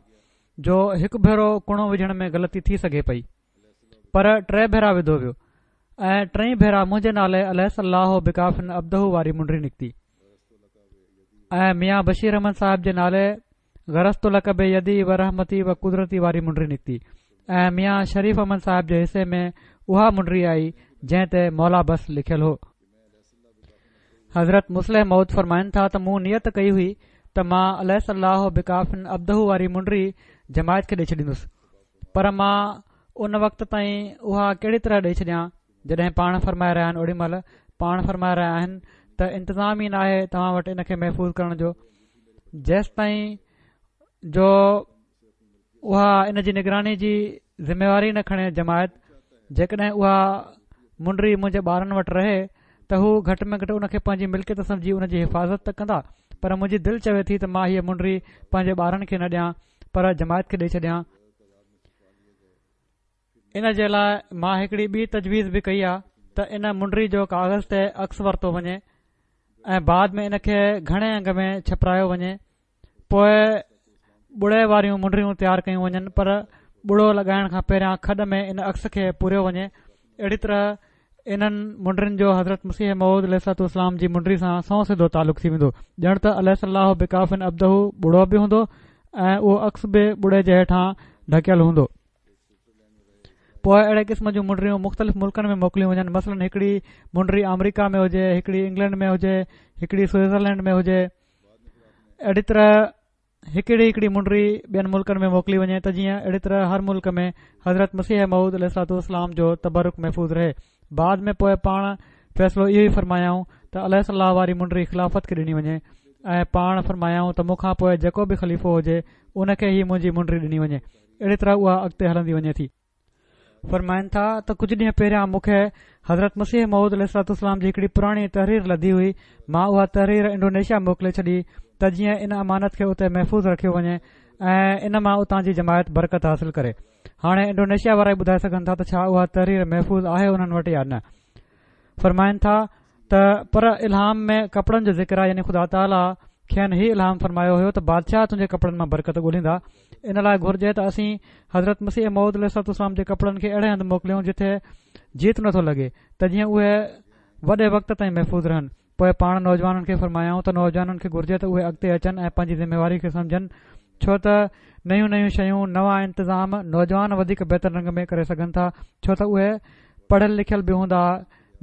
جو هڪ ڀيرو ڪڻو وجهڻ ۾ غلطي ٿي سگهي پئي، پر ٽي ڀيرا وڌو ويو. ۽ ٽئي ڀيرا منهنجي نالي اليس الله بڪاف عبده واري منڊي نڪتي ۽ ميان بشير احمد صاحب جي نالي غرست لڪ بيدي و رحمتي و قدرتي واري منڊي نڪتي ۽ ميان شريف احمد صاحب جي حصي ۾ اها منڊي آئي جنهن تي مولا بس لکيل هو. حضرت مصلح موعود فرمائن ٿا ته مون نيت ڪئي هئي ته مان اليس الله بڪاف عبده واري منڊي جماعت کي ڏئي ڇڏيندس، پر مان ان وقت تائين اها ڪهڙي طرح ڏئي ڇڏيان جڏهن پاڻ فرمائي رهيا آهن اوڏي مهل پاڻ فرمائي رهيا آهن ته انتظام ئي ناهي توهان وٽ ان کي محفوظ ڪرڻ جو، جيستائين جو اها ان جي نگراني جي ذميواري نه کڻي جماعت. جيڪڏهن اها منڊي منهنجي ٻارن وٽ رهي ته هو گهٽ ۾ گهٽ ان کي پنهنجي ملڪيت سمجهي ان جي حفاظت ته ڪندا، پر منهنجي دل چوي ٿي ته مان هيء منڊي پنهنجي ٻارن کي نه ڏيان پر جماعت کي ڏئي ڇڏيان. ان جي لاء مان هڪڙي ٻي تجويز به ڪئي آ ته ان منڊي جو ڪاغذ تي عڪس ورتو وڃي ۽ بعد ۾ ان کي گهڻي انگ ۾ ڇپرايو وڃي، پوء ٻڙي واريون منڊيون تيار ڪيون وڃن، پر ٻڙو لڳائڻ کان پهريان کڏ ۾ ان عڪس کي پوريو وڃي. اهڙي طرح انهن منڊين جو حضرت مسيح موعود عليه الصلوة والسلام جي منڊي سان سنئون سڌو تعلق ٿي ويندو، ڄڻ ته اليس الله بڪاف عبده ٻڙو به هوندو ۽ اهو عڪس به ٻڙي جي هيٺان ڍڪيل هوندو. پوء اهڙي قسم جون منڊيون مختلف ملڪن ۾ موڪليون وڃن، مثلاً هڪڙي منڊي آمريڪا ۾ هجي، هڪڙي انگلينڊ ۾ هجي، هڪڙي سوئٽزرلينڊ ۾ هجي. اهڙي طرح هڪڙي هڪڙي منڊي ٻين ملڪن ۾ موڪلي وڃي ته جيئن اهڙي طرح هر ملڪ ۾ حضرت مسيح موعود عليه الصلوة والسلام جو تبرڪ محفوظ رهي. بعد ۾ پوء پاڻ فيصلو اهو ئي فرمايائون ته اليس الله واري منڊي خلافت کي ڏني وڃي ۽ پاڻ فرمايائون ته مون کان پوء جيڪو به خليفو هجي ان کي هي منهنجي منڊي ڏني وڃي. اهڙي طرح اها اڳتي هلندي وڃي ٿي. فرمائن ٿا ته ڪجهه ڏينهن پهريان مون کي حضرت مسيح موعود عليه الصلوة والسلام جي هڪڙي پراڻي تحرير لڌي هئي، مان اها تحرير انڊونيشيا موڪلي ڇڏي ته جيئن ان امانت کي اتي محفوظ رکيو وڃي ۽ ان مان اتان جي جماعت برڪت حاصل ڪري. هاڻي انڊونيشيا وارا ئي ٻڌائي سگهن ٿا ته ڇا اها تحرير محفوظ آهي انهن وٽ يا نه. فرمائن ٿا ته پر الهام ۾ ڪپڙن جو ذڪر آهي، يعني خدا تعاليٰ کين هي الهام فرمايو هيو ته بادشاهه تنهنجي ڪپڙن مان برڪت ڳولهيندا. ان لاء گهرجي ته اسين حضرت مسيح موعود عليه الصلوة والسلام جي ڪپڙن کي اهڙي هنڌ موڪليون جتي جيت نٿو لڳي ته جيئن اهي وڏي وقت تائين محفوظ رهن. پوء پاڻ نوجوانن کي فرمايائون ته نوجوانن کي گهرجي ته اهي اڳتي اچن ۽ پنهنجي ذميواري کي سمجهن، ڇو ته نيون نيون شيون، نوان انتظام نوجوان وڌيڪ بهتر رنگ ۾ ڪري سگهن ٿا، ڇو ته اهي پڙهيل لکيل به هوندا،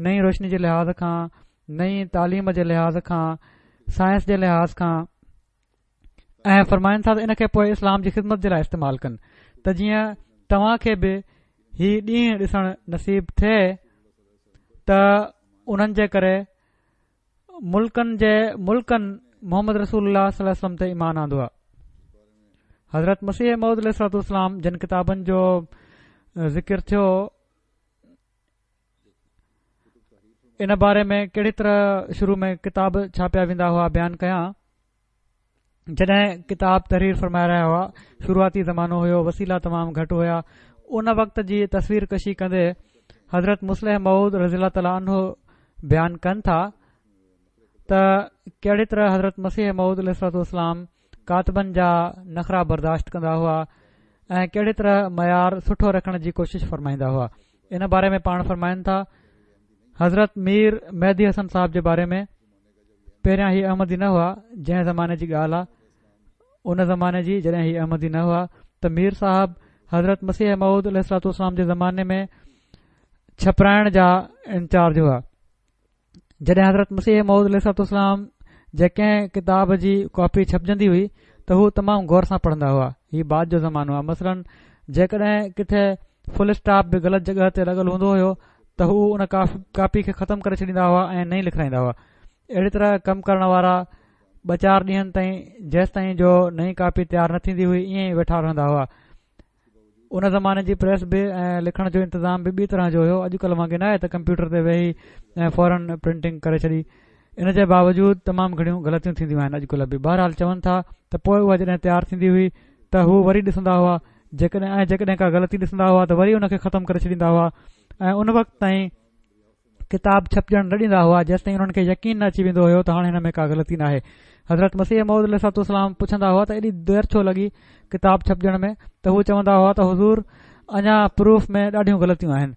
نئين روشني جي لحاظ کان، نئين تعليم جي لحاظ کان، سائنس جي لحاظ کان. ۽ فرمائن ٿا ته ان کي پوء اسلام جي خدمت جي لاء استعمال ڪن ته جيئن توهان کي به هي ڏينهن ڏسڻ نصيب ٿئي ته انهن جي ڪري ملڪن جي ملڪن محمد رسول الله صلي الله عليه وسلم تي ايمان آندو آهي. حضرت مسيح موعود عليه الصلوة والسلام جن ڪتابن جو ذڪر ٿيو ان باري ۾ ڪهڙي طرح شروع ۾ ڪتاب ڇاپيا ويندا هئا بيان ڪيان. جڏهن ڪتاب تحرير فرمائي رهيا هئا شروعاتي زمانو هيو، وسيلا تمام گهٽ هيا، ان وقت جي تصوير ڪشي ڪندي حضرت مصلح موعود رضي الله تعالٰي عنه بيان ڪن ٿا ته ڪهڙي طرح حضرت مسيح موعود عليه الصلوة والسلام ڪاتبن جا نخرا برداشت ڪندا هئا ۽ ڪهڙي طرح معيار سٺو رکڻ جي ڪوشش فرمائيندا هئا. ان باري ۾ پاڻ فرمائن ٿا حضرت مير مهدي حسن صاحب جي باري ۾ پهريان هي احمدي نه هئا، جنهن زماني جي ڳالهه آ ان زماني جي جڏهن هي احمدي نه هئا ته مير صاحب حضرت مسيح موعود عليه الصلوة والسلام جي زماني ۾ ڇپرائڻ جا انچارج هئا. جڏهن حضرت مسيح موعود عليه الصلوة والسلام جي ڪنهن ڪتاب جي ڪاپي ڇپجندي هئي ته هو تمام غور سان پڙهندا هئا. هي بعد جو زمانو آ، مثلاً جيڪڏهن ڪٿي فل اسٽاپ به غلط جڳهه تي لڳل هوندو هيو ته هو ان ڪاپي کي ختم ڪري ڇڏيندا هئا ۽ نئين لکرائيندا هئا. اهڙي طرح ڪم ڪرڻ وارا ٻه چار ڏينهن تائين جيستائين جو نئين ڪاپي تيار نه ٿيندي هئي ائين ئي ويٺا رهندا هئا. ان زماني جي پريس به ۽ لکڻ جو انتظام به ٻي طرح جو هيو، اڄڪلهه وانگي ناهي ته ڪمپيوٽر تي ويهي ۽ فورن پرنٽنگ ڪري ڇڏي. ان جي باوجود تمام گهڻيون غلطيون ٿينديون آهن اڄڪلهه به. بهرحال چون ٿا ته پوء اها جڏهن تيار ٿيندي هئي ته هو وري ڏسندا هئا، جيڪڏهن ۽ جيڪڏهن ڪا غلطي ڏسندا هئا ته وري ان کي ختم ڪري ڇڏيندا هئا ۽ ان وقت تائين ڪتاب ڇپجڻ نه ڏيندا هئا جيستائين انهن کي يقين نه اچي ويندو هيو ته هاڻي هن ۾ ڪا غلطي ناهي. حضرت مسيح موعود عليه الصلوة والسلام پڇندا هئا ته ايڏي دير ڇو لڳي ڪتاب ڇپجڻ ۾ ته هو چوندا هئا ته حضور اڃا پروف ۾ ڏاڍيون غلطيون آهن.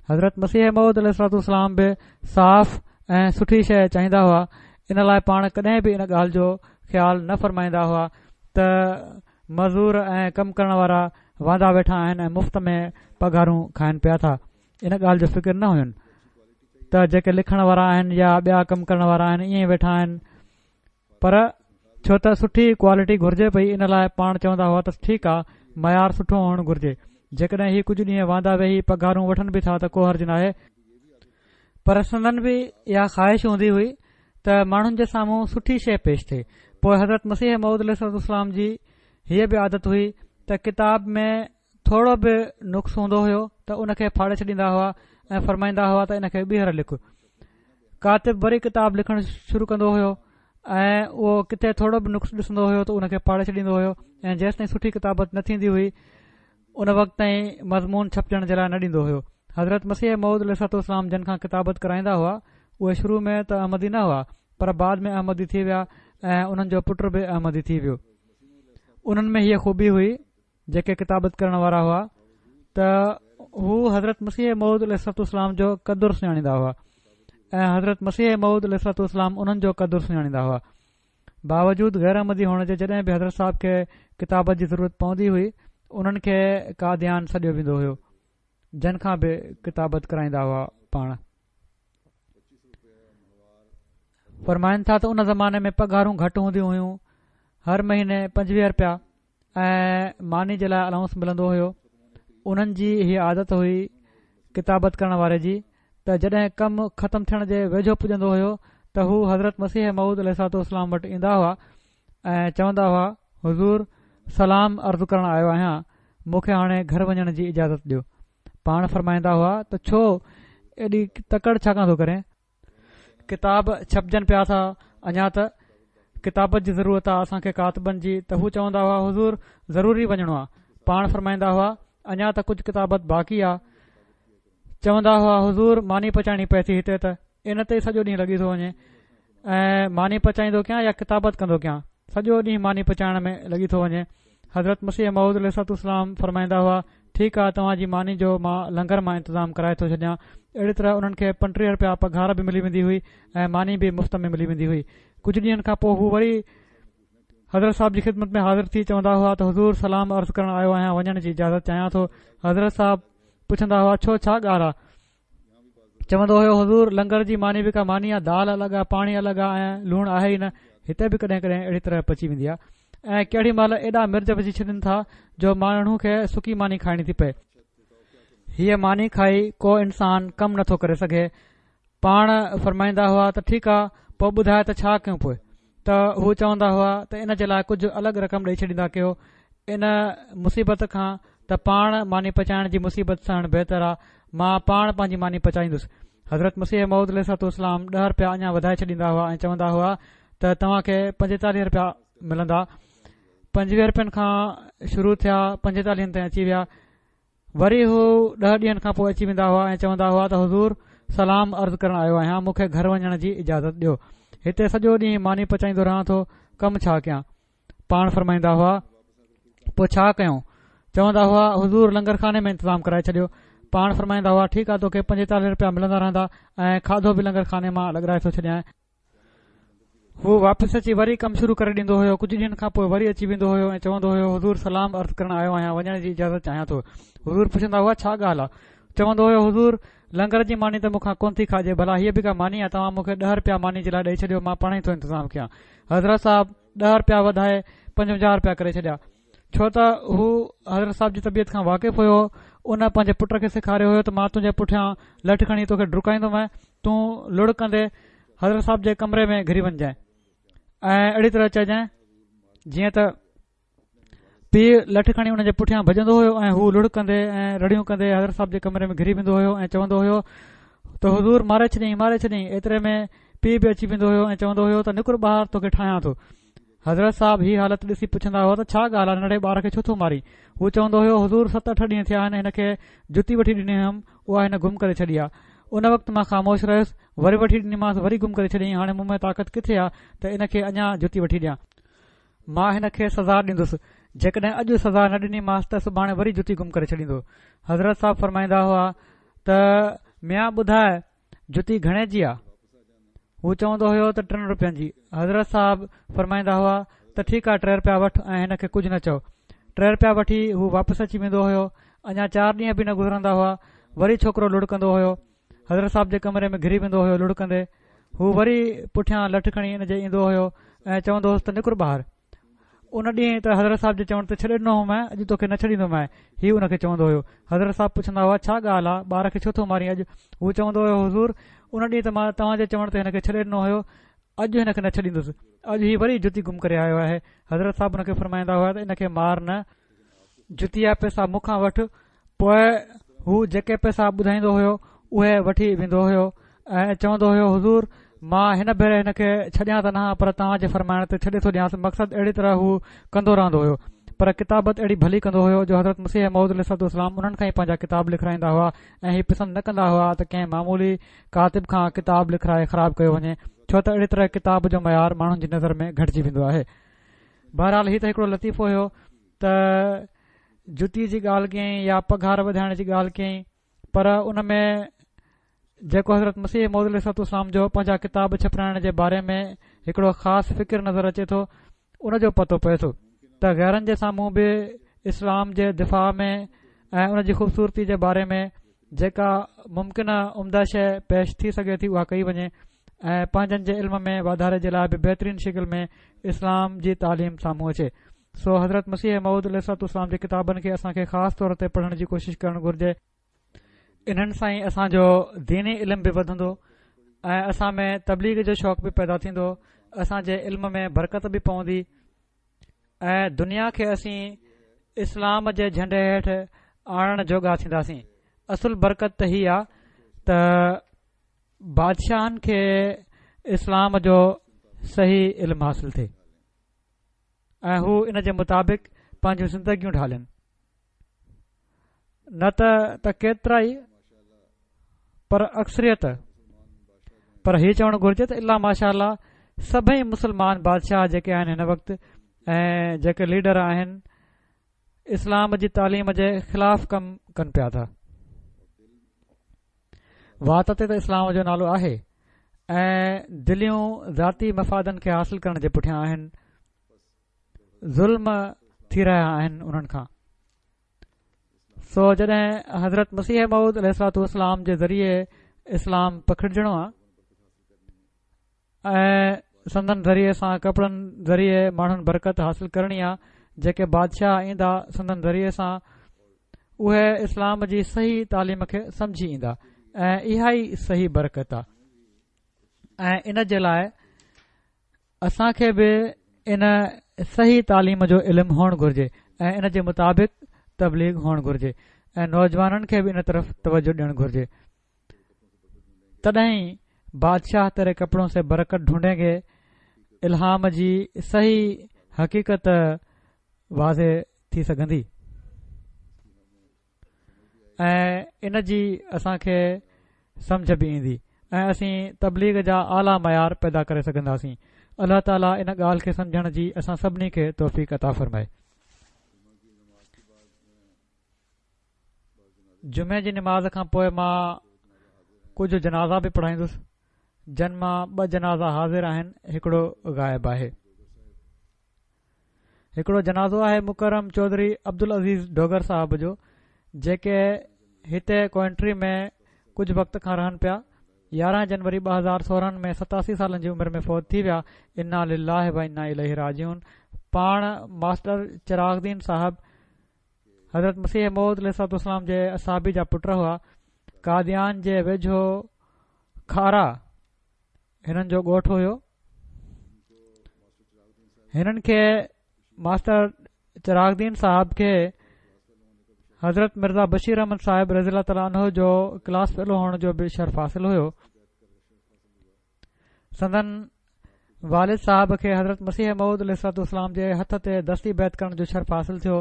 حضرت مسيح موعود عليه الصلوة والسلام به صاف ۽ سٺي شيء چاهيندا هئا. ان لاء پاڻ ڪڏهن به ان ڳالهه جو خيال نه فرمائيندا هئا ته مزور ۽ ڪم ڪرڻ وارا واندا ويٺا آهن ۽ مفت ۾ پگهارون کائن پيا ٿا. ان ڳالهه جو فڪر نه هين ته جيڪي لکڻ وارا آهن يا ٻيا ڪم ڪرڻ وارا آهن ائين ئي ويٺا آهن، پر ڇو ته سٺي ڪوالٽي گهرجي پئي ان لاء پاڻ چوندا هئا ته ٺيڪ آ، معيار سٺو هئڻ گهرجي. جيڪڏهن هي ڪجهه ڏينهن واندا ويهي پگهارون وٺن به ٿا ته ڪو حرج ناهي، پر سندن به اها خواهش هوندي هئي ته ماڻهن جي سامهون سٺي شيء پيش ٿئي. پوء حضرت مسيح موعود عليه الصلوة والسلام جي هيء به عادت هئي ته ڪتاب ۾ ٿورو به نقص هوندو هيو ته ان کي ڦاڙي ڇڏيندا هئا ۽ فرمائيندا هئا ته ان کي ٻيهر لک. ڪاتب وري ڪتاب لکڻ شروع ڪندو هيو ۽ اهو ڪٿي ٿورو به نقص ڏسندو هيو ته ان کي ڦاڙي ڇڏيندو هيو ۽ جيستائين سٺي ڪتابت نه ٿيندي هئي ان وقت تائين مضمون ڇپجڻ جي لاء نه ڏيندو هيو. حضرت مسيح موعود عليه الصلوة والسلام جن کان ڪتابت ڪرائيندا هئا اهي شروع ۾ ته احمدي نه هئا پر بعد ۾ احمدي ٿي ويا ۽ انهن جو پٽ به احمدي ٿي ويو. انهن ۾ هيء خوبي هئي جيڪي ڪتابت ڪرڻ وارا هئا ته هو حضرت مسيح موعود عليه الصلوة والسلام جو قدر سڃاڻيندا هئا ۽ حضرت مسيح موعود عليه الصلوة والسلام انهن جو قدر سڃاڻيندا هئا. باوجود غير احمدي هئڻ جي جڏهن به حضرت صاحب کي ڪتابت جي ضرورت پوندي هئي انهن کي قاديان سڏيو ويندو هيو جن کان به ڪتابت ڪرائيندا هئا. پاڻ فرمائن ٿا ته ان زماني ۾ پگهارون گهٽ هونديون هيون، هر مهيني پنجويهه رپيا ۽ ماني جي لاء الائونس ملندو هيو. انهن جي هيء عادت هئي ڪتابت ڪرڻ واري جي ته جڏهن ڪم ختم ٿيڻ جي ويجهو پڄندو هيو ته هو حضرت مسيح موعود عليه الصلوة والسلام وٽ ايندا هئا ۽ چوندا هئا حضور سلام عرض ڪرڻ آيو آهيان، مون کي هاڻي گهر وڃڻ جي اجازت ڏيو. پاڻ فرمائيندا هئا ته ڇو ايڏي تڪڙ ڇا کان ٿو ڪرين؟ ڪتاب ڇپجن پيا ٿا، اڃا ته ڪتابت جي ضرورت آ اسان کي ڪاتبن جي. ته هو چوندا هئا حضور ضروري وڃڻو آ. پاڻ فرمائيندا هئا اڃا ته ڪجهه ڪتابت باقي آ. چوندا هئا حضور ماني پچائڻي پئي ٿي هتي ته ان تي ئي سڄو ڏينهن لڳي ٿو وڃي ۽ ماني پچائيندو ڪيان يا ڪتابت ڪندو ڪيان، سڄو ڏينهن ماني پچائڻ ۾ لڳي ٿو وڃي. حضرت مسيح موعود عليه الصلوة والسلام فرمائيندا هئا ٺيڪ آ توهان جي ماني جو مان لنگر مان انتظام ڪرائي ٿو ڇڏيان. اهڙي طرح انهن کي پنٽيهه رپيا پگهار به ملي ويندي هئي ۽ ماني به مفت ۾ ملي ويندي هئي. ڪجهه ڏينهن کان پوء هو وري حضرت صاحب جي خدمت ۾ حاضر ٿي چوندا هئا ته حضور سلام عرض ڪرڻ آيو آهيان، وڃڻ جي اجازت چاهيان ٿو. حضرت صاحب پڇندا هئا ڇو ڇا ڳالهه آ؟ چوندو هيو حضور لنگر جي ماني به ڪا ماني آ، دال الڳ آ، پاڻي الڳ آ ۽ لوڻ آهي ئي نه. هتي به ڪڏهن ڪڏهن اهڙي طرح پچي ويندي آ ۽ ڪهڙي مهل ايڏا مرچ وجهي ڇڏين ٿا جو ماڻهو کي سڪي ماني کائڻي ٿي پئي. هيء ماني کائي ڪو انسان ڪم نٿو ڪري سگهي. پاڻ فرمائيندا هئا ته ٺيڪ آ پوء ٻڌاء ته ڇا ڪيون پوء؟ ته هو چوندا هئا ته ان جي لاء ڪجهه الڳ رقم ڏئي ڇڏيندا ڪيو، ان مصيبت کان ته پاڻ ماني پچائڻ جي مصيبت سهڻ بهتر آ، مان پاڻ پنهنجي ماني پچائيندس. حضرت مسيح موعود عليه الصلوة والسلام ڏهه رپيا اڃا وڌائي ڇڏيندا هئا ۽ چوندا هئا ته توهان کي پنجيتاليهه رپيا ملندا. پنجويهه رپين کان شروع ٿيا پنجيتاليهن تائين اچي ويا. وري هو ڏهه ڏينهن کان پوء اچي ويندا هئا ۽ چوندا هئا ته حضور سلام عرض ڪرڻ آيو آهيان، مون کي گهر وڃڻ جي اجازت ڏيو، هتي سڄو ڏينهن ماني پچائيندو رهان ٿو، ڪم ڇا ڪيان؟ پاڻ فرمائيندا هئا پوء ڇا ڪيون؟ چوندا هئا حضور لنگر خاني ۾ انتظام ڪرائي ڇڏيو. پاڻ فرمائيندا هئا ٺيڪ آ توکي پنجيتاليهه رپيا ملندا رهندا ۽ کاڌو به لنگر خاني مان لڳرائي ٿو ڇڏيان. هو واپس اچي وري ڪم شروع ڪري ڏيندو هيو. ڪجهه ڏينهن کان پوء وري اچي ويندو هيو ۽ چوندو هيو حضور سلام عرض ڪرڻ آيو آهيان، وڃڻ جي اجازت چاهيان ٿو. حضور پڇندا هئا ڇا ڳالهه آ؟ چوندو هيو حضور لنگر جي ماني ته مون کان ڪونه ٿي کاڄي، ڀلا هيء به ڪا ماني آ، توهان مون کي ڏهه رپيا ماني جي لاء ڏئي ڇڏيو، مان پاڻ ئي ٿو انتظام ڪيان. حضرت صاحب ڏهه رپيا وڌائي پنجونجاهه رپيا ڪري ڇڏيا، ڇو ته هو حضرت صاحب جي طبيعت کان واقف هيو. ان پنهنجي پٽ کي سيکاريو هيو ته مان تنهنجي پٺيان لٺ کڻي توکي ڊڪائيندومانء، تون لڙ ڪندي حضرت صاحب جي ڪمري ۾ گهري وڃجانء ۽ اهڙي طرح چئجانء جيئن ته پيء لٺ کڻي ان جي پٺيان ڀڄندو هيو ۽ هو لڙ ڪندي ۽ رڙيون ڪندي حضرت صاحب جي ڪمري ۾ گهري ويندو هيو ۽ چوندو هيو ته حضور ماري ڇڏيائين ماري ڇڏيائين. ايتري ۾ پيء به اچي ويندو هيو ۽ چوندو هيو ته نڪر ٻاهر توکي ٺاهيان ٿو. حضرت صاحب هي حالت ڏسي پڇندا هئا ته ڇا ڳالهه آهي ننڍڙي ٻار کي ڇو ٿو مارين؟ هو چوندو هيو حضور ست اٺ ڏينهن ٿيا آهن هن کي جتي وٺي ڏني هيم اها هن گم ڪري ڇڏي آهي. ان وقت مان خاموش رهيس، وري وٺي ڏنيمانس وري گم ڪري ڇڏيائين، هاڻي مون ۾ طاقت ڪٿي آهي ته ان کي اڃا جتي وٺي ڏيان. مان هن کي سزا ڏيندس، جيڪڏهن اڄ سزا نه ڏنيمانس ته سڀاڻي وري جتي گم ڪري ڇڏيندو. حضرت صاحب فرمائيندا هئا ته ميان ٻڌاءِ جتي گهڻي جي آ؟ هو چوندو هيو ته ٽن رپين جي. حضرت صاحب فرمائيندا هئا ته ٺيڪ آ، ٽي رپيا وٺ ۽ هن کي ڪجهه نه چئو. ٽي رپيا وٺي هو واپس اچي ويندو هيو. اڃا چار ڏينهن به نه گذرندا هئا، وري ڇوڪرو لڙڪندو هيو. حضرت صاحب جي ڪمري ۾ گهري ويندو هيو لڙڪندي. هو وري پٺيان لٺ کڻي ان جي ايندو هيو ۽ چوندو هوس ته نڪر ٻاهر. ان ڏينهن ته حضرت صاحب جي چوڻ تي ڇڏي ڏنو هومانء، اڄ توکي نه ڇڏيندومانء. هي ان کي چوندو هيو. حضرت صاحب پڇندا هئا ڇا ڳالهه آ، ٻار کي ڇو ٿو مارين اڄ؟ هو چوندو هيو حضور ان ڏينهن ته مان توهان جي چوڻ تي هن کي ڇڏي ڏنو هيو، اڄ هن کي نه ڇڏيندس، اڄ هي وري جتي گم ڪري آيو آهي. حضرت صاحب ان کي فرمائيندا هئا ته ان کي مار نه، جتي جا پئسا مون کان وٺ. پوءِ هو جيڪي پئسا ٻڌائيندو هيو اهي وٺي ويندو هيو ۽ چوندو هيو حضور مان هن ڀيري هن کي ڇڏيان ته نه پر توهان جي فرمائڻ تي ڇڏي ٿو ڏيانس. مقصد اهڙي طرح هو ڪندو رهندو هيو، پر ڪتابت اهڙي ڀلي ڪندو هيو جو حضرت مسيح موعود عليه الصلوة والسلام انهن کان ئي پنهنجا ڪتاب لکرائيندا هئا ۽ هي پسند نه ڪندا هئا ته ڪنهن معمولي ڪاتب کان ڪتاب لکرائي خراب ڪيو وڃي، ڇو ته اهڙي طرح ڪتاب جو معيار ماڻهن جي نظر ۾ گهٽجي ويندو آهي. بهرحال هي ته هڪڙو لطيفو هيو ته جتي جي ڳالهه ڪيائين يا پگهار وڌائڻ جي ڳالهه ڪيائين، پر ان ۾ جيڪو حضرت مسيح موعود عليه الصلوة والسلام جو پنهنجا ڪتاب ڇپرائڻ جي باري ۾ هڪڙو خاص فڪر نظر اچي ٿو، ان جو پتو پئي ٿو ته غيرن جي سامهون به اسلام جي دفاع ۾ ۽ ان جي خوبصورتي جي باري ۾ جيڪا ممڪنه عمده شيءِ پيش ٿي سگهي ٿي اها ڪئي وڃي ۽ پنهنجن جي علم ۾ واڌاري جي لاءِ به بهترين شڪل ۾ اسلام جي تعليم سامهون اچي. سو حضرت مسيح موعود عليه الصلوة والسلام جي ڪتابن کي اسان کي خاص طور تي پڙهڻ جي ڪوشش ڪرڻ گهرجي. انهن سان ئي اسان جو ديني علم به وڌندو ۽ اسان ۾ تبليغ جو شوق به پيدا ٿيندو، اسان جي علم ۾ برڪت به پوندي ۽ دنيا کي اسين اسلام جي جهنڊي هيٺ آڻڻ جوڳا ٿينداسين. اصل برڪت ته هي آ ته بادشاهن کي اسلام جو صحيح علم حاصل ٿئي ۽ هو ان جي مطابق پنهنجون زندگيون ڍالين، نه ته ته ڪيترا ئي پر اڪثريت، پر هي چوڻ گهرجي ته الا ماشاء الله سڀئي مسلمان بادشاهه جيڪي آهن هن وقت ۽ جيڪي ليڊر آهن اسلام جي تعليم جي خلاف ڪم ڪن پيا ٿا. وات تي ته اسلام جو نالو آهي ۽ دليون ذاتي مفادن کي حاصل ڪرڻ جي پٺيان آهن، ظلم ٿي رهيا آهن انهن کان. سو جڏهن حضرت مسيح موعود عليه الصلوة والسلام جي ذريعي اسلام پکڙجڻو آ ۽ سندن ذريعي سان ڪپڙن ذريعي ماڻهن برڪت حاصل ڪرڻي آ، جيڪي بادشاهه ايندا سندن ذريعي سان اهي اسلام جي صحيح تعليم کي سمجهي ايندا ۽ اها ئي صحيح برڪت آ. ۽ ان جي لاءِ اسان کي به ان صحيح تعليم جو علم هئڻ گهرجي ۽ ان جي مطابق تبليغ هئڻ گهرجي ۽ نوجوانن کي به ان طرف توجه ڏيڻ گهرجي. تڏهن ئي بادشاهه تيري ڪپڙون سي برڪت ڍونڍين گي الهام جي صحيح حقيقت واضح ٿي سگهندي ۽ ان جي اسان کي سمجهه به ايندي ۽ اسين تبليغ جا اعليٰ معيار پيدا ڪري سگهنداسين. الله تعاليٰ ان ڳالهه کي سمجهڻ جي اسان سڀني کي توفيق عطا فرمائي. جمعي جي نماز کان پوءِ مان ڪجهه جنازا به پڙهائيندس، جن مان ٻه جنازا حاضر آهن، هڪڙو غائب آهي. هڪڙو جنازو آهي مڪرم چوڌري عبدالعزيز ڊوگر صاحب جو، جيڪي هتي ڪوئنٽري ۾ ڪجهه وقت کان رهن پيا. يارهن جنوري ٻه هزار سورهن ۾ ستاسي سالن جي عمر ۾ فوت ٿي ويا. انا لله و انا اليه راجعون. پاڻ ماسٽر چراغ دين صاحب حضرت مسيح موعود عليه الصلوة والسلام جي اصحابي جا پٽ هئا. قاديان جي ويجهو کارا هنن جو ڳوٺ هيو. هنن کي ماسٽر چراغ دين صاحب کي حضرت مرزا بشير احمد صاحب رضي الله تعاليٰ عنه جو ڪلاس فيلو هئڻ جو به شرف حاصل هيو. سندن والد صاحب کي حضرت مسيح موعود عليه الصلوة والسلام جي هٿ تي دستي بيعت ڪرڻ جو شرف حاصل ٿيو.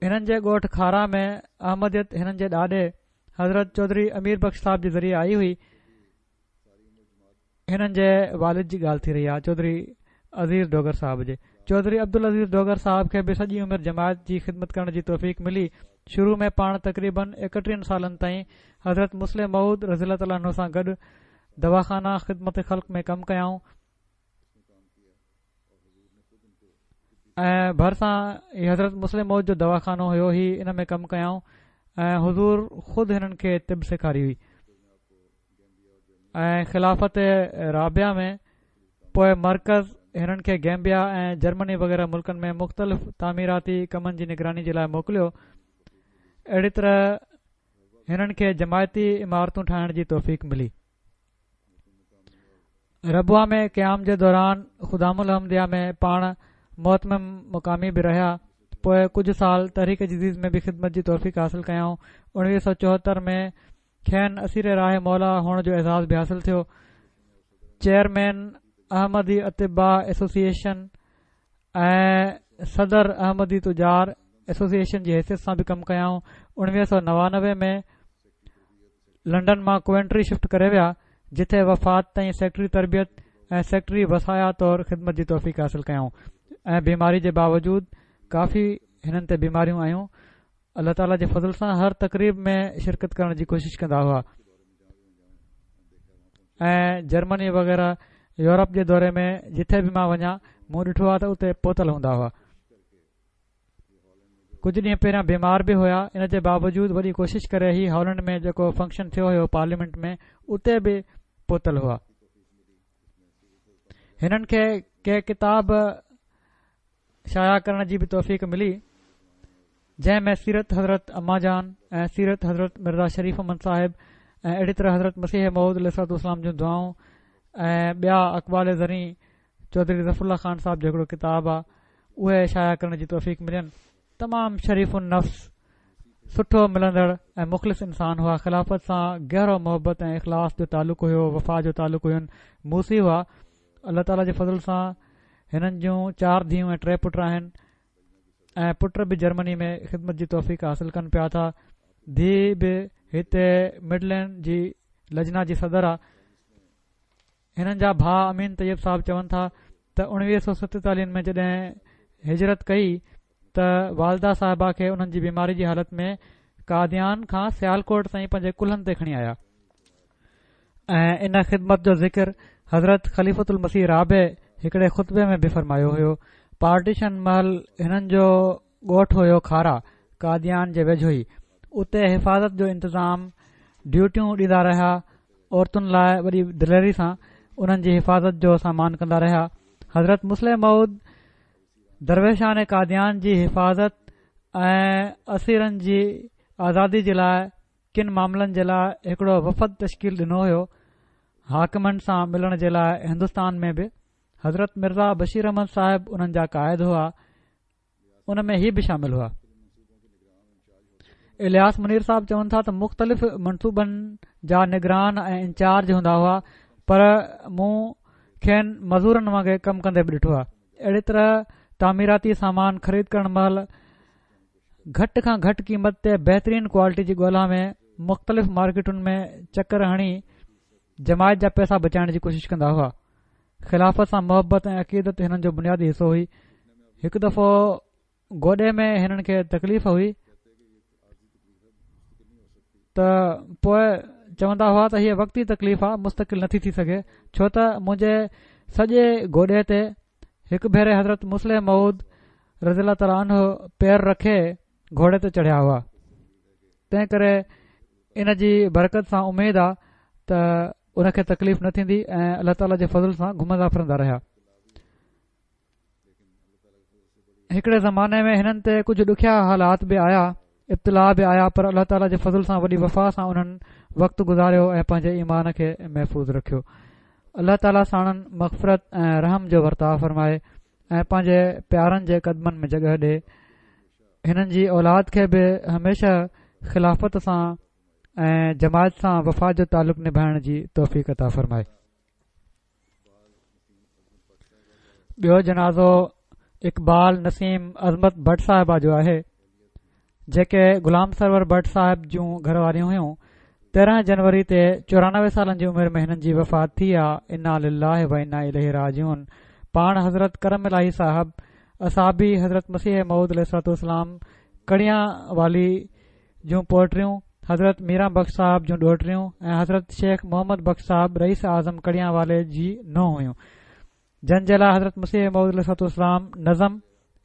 هنن جي ڳوٺ کارا ۾ احمديت هنن جي ڏاڏي حضرت چوڌري امير بخش صاحب جي ذريعي آئي هئي. هنن جي والد جي ڳالهه ٿي رهي آهي چوڌري عزيز ڊوگر صاحب جي. چوڌري عبدالعزيز ڊوگر صاحب کي به سڄي عمر جماعت جي خدمت ڪرڻ جي توفيق ملي. شروع ۾ پاڻ تقريبن ايڪٽيهن سالن تائين حضرت مصلح موعود رضي الله تعالٰي عنه سان گڏ دواخانه خدمت خلق ۾ ڪم ڪيائون ۽ ڀرسان ئي حضرت مصلح موعود جو دواخانو هيو، هي ان ۾ ڪم ڪيائون ۽ حضور خود هنن کي طب سيکاري هئي ۽ خلافت رابعه ۾ پوء مرڪز هنن کي گيمبيا ۽ جرمني وغيره ملڪن ۾ مختلف تعميراتي ڪمن جي نگراني جي لاء موڪليو. اهڙي طرح هنن کي جماعتي عمارتون ٺاهڻ جي توفيق ملي. ربوه ۾ قيام جي دوران خدام الاحمديه ۾ پاڻ مهتمم مقامي به رهيا. پوء ڪجهه سال تحريڪ جديد ۾ به خدمت جي توفيق حاصل ڪيائون. اڻويهه سؤ چوهتر ۾ کين اسير راهه مولا هئڻ جو اعزاز به حاصل ٿيو. چيئرمين احمدي اطباء ايسوسيئيشن ۽ صدر احمدي تجار ايسوسيئيشن جي حيثيت سان به ڪم ڪيائون. اڻويهه سؤ نوانوي ۾ لنڊن مان ڪووينٽري شفٽ ڪري ويا، جتي وفات تائين سيڪريٽري تربيت ۽ سيڪريٽري وصايا طور خدمت جي توفيق حاصل ڪيائون ۽ بيماري جي باوجود ڪافي هنن تي بيماريون آيون. الله تعاليٰ جي فضل سان هر تقريب ۾ شرڪت ڪرڻ جي ڪوشش ڪندا هئا ۽ جرمني وغيره يورپ جي دوري ۾ جٿي به مان وڃان مون ڏٺو آهي ته اتي پهتل هوندا هئا. ڪجهه ڏينهن پهريان بيمار به هيا، ان جي باوجود وڏي ڪوشش ڪري هي هالينڊ ۾ جيڪو فنڪشن ٿيو هيو پارليامينٽ ۾ اتي به پهتل هئا. هنن کي ڪي ڪتاب شايع ڪرڻ جي به توفيق ملي، جنهن ۾ سيرت حضرت اما جان ۽ سيرت حضرت مرزا شريف احمد صاحب ۽ اهڙي طرح حضرت مسيح موعود عليه الصلوة والسلام جون دعائون ۽ ٻيا اقوال زرين چوڌري ظفر الله خان صاحب جو هڪڙو ڪتاب آهي، اهي شايع ڪرڻ جي توفيق ملين. تمام شريف النفس، سٺو ملندڙ ۽ مخلص انسان هئا. خلافت سان گهرو محبت ۽ اخلاص جو تعلق هيو، وفا جو تعلق هين. موصي هئا. الله تعاليٰ جي فضل سان هنن جون چار ڌيئون ۽ ٽي پٽ آهن ۽ پٽ به جرمني ۾ خدمت جي توفيق حاصل ڪن پيا ٿا. ڌيء به هتي مڊلينڊ جي لجنا جي صدر آ. هنن جا ڀاء امين طيب صاحب چون ٿا ته اڻويهه سؤ ستيتاليهن ۾ جڏهن هجرت ڪئي ته والده صاحبه کي انهن جي بيماري جي حالت ۾ قاديان کان سيالڪوٽ تائين پنهنجي ڪلهن تي کڻي آيا ۽ ان خدمت جو ذڪر حضرت خليفة المسيح رابع هڪڙي خطبي ۾ به فرمايو هيو. پارٽيشن مهل هنن جو ڳوٺ هيو کارا، قاديان جي ويجهو ئي. اتي حفاظت جو انتظام ڊيوٽيون ڏيندا رهيا. عورتن لاء وڏي دليري سان انهن جي حفاظت جو سامان ڪندا رهيا. حضرت مصلح موعود درويشان قاديان جي حفاظت ۽ اسيرن جي آزادي جي لاء ڪن معاملن جي لاء هڪڙو وفد تشڪيل ڏنو هيو. حاڪمن سان ملڻ جي لاء هندستان ۾ به حضرت مرزا بشير احمد صاحب انهن جا قائد هئا، ان ۾ هي به شامل هئا. الياس منير صاحب چون ٿا ته مختلف منصوبن جا نگران ۽ انچارج هوندا هئا، پر مون کين مزورن وانگي ڪم ڪندي به ڏٺو آهي. اهڙي طرح تعميراتي سامان خريد ڪرڻ مهل گهٽ کان گهٽ قيمت تي بهترين ڪوالٽي جي ڳولا ۾ مختلف مارڪيٽن ۾ چڪر هڻي جماعت جا پئسا بچائڻ جي ڪوشش ڪندا هئا. خلافت سان محبت ۽ عقيدت هنن جو بنيادي حصو هئي. هڪ دفعو گوڏي ۾ هنن کي تڪليف هئي ته پوء چوندا هئا ته هيء وقتي تڪليف آ، مستقل نٿي ٿي سگهي، ڇو ته منهنجي سڄي گوڏي تي هڪ ڀيري حضرت مصلح موعود رضي الله تعالٰي عنه پير رکي گهوڙي تي چڙهيا هئا، تنهن ڪري ان جي برڪت سان اميد آ ته ان کي تڪليف نه ٿيندي ۽ الله تعاليٰ جي فضل سان گهمندا ڦرندا رهيا. هڪڙي زماني ۾ هنن تي ڪجهه ڏکيا حالات به آيا، ابتلاء به آيا، پر الله تعاليٰ جي فضل سان وڏي وفا سان انهن وقت گذاريو ۽ پنهنجي ايمان کي محفوظ رکيو. الله تعاليٰ ساڻن مغفرت ۽ رحم جو ورتاء فرمائي ۽ پنهنجي پيارن جي قدمن ۾ جڳهه ڏي. هنن جي اولاد کي به هميشه خلافت سان ۽ جماعت سان وفا جو تعلق نڀائڻ جي توفيق عطا فرمائي. ٻيو جنازو اقبال نسيم عظمت ڀٽ صاحبه جو آهي، جيڪي غلام سرور ڀٽ صاحب جون گهر واريون هيون. تيرهن جنوري تي چورانوي سالن جي عمر ۾ هنن جي وفات ٿي آ. انا لله و انا اليه راجعون. پاڻ حضرت ڪرم الاهي صاحب اصحابي حضرت مسيح موعود عليه الصلوة والسلام ڪڙيان والي جون پوئٽريون، حضرت ميران بخش صاحب جون ڏوهٽريون ۽ حضرت شيخ محمد بخش صاحب رئيس اعظم ڪڙيان والي جي نونهن هيون، جن جي لاء حضرت مسيح موعود عليه الصلوة والسلام نظم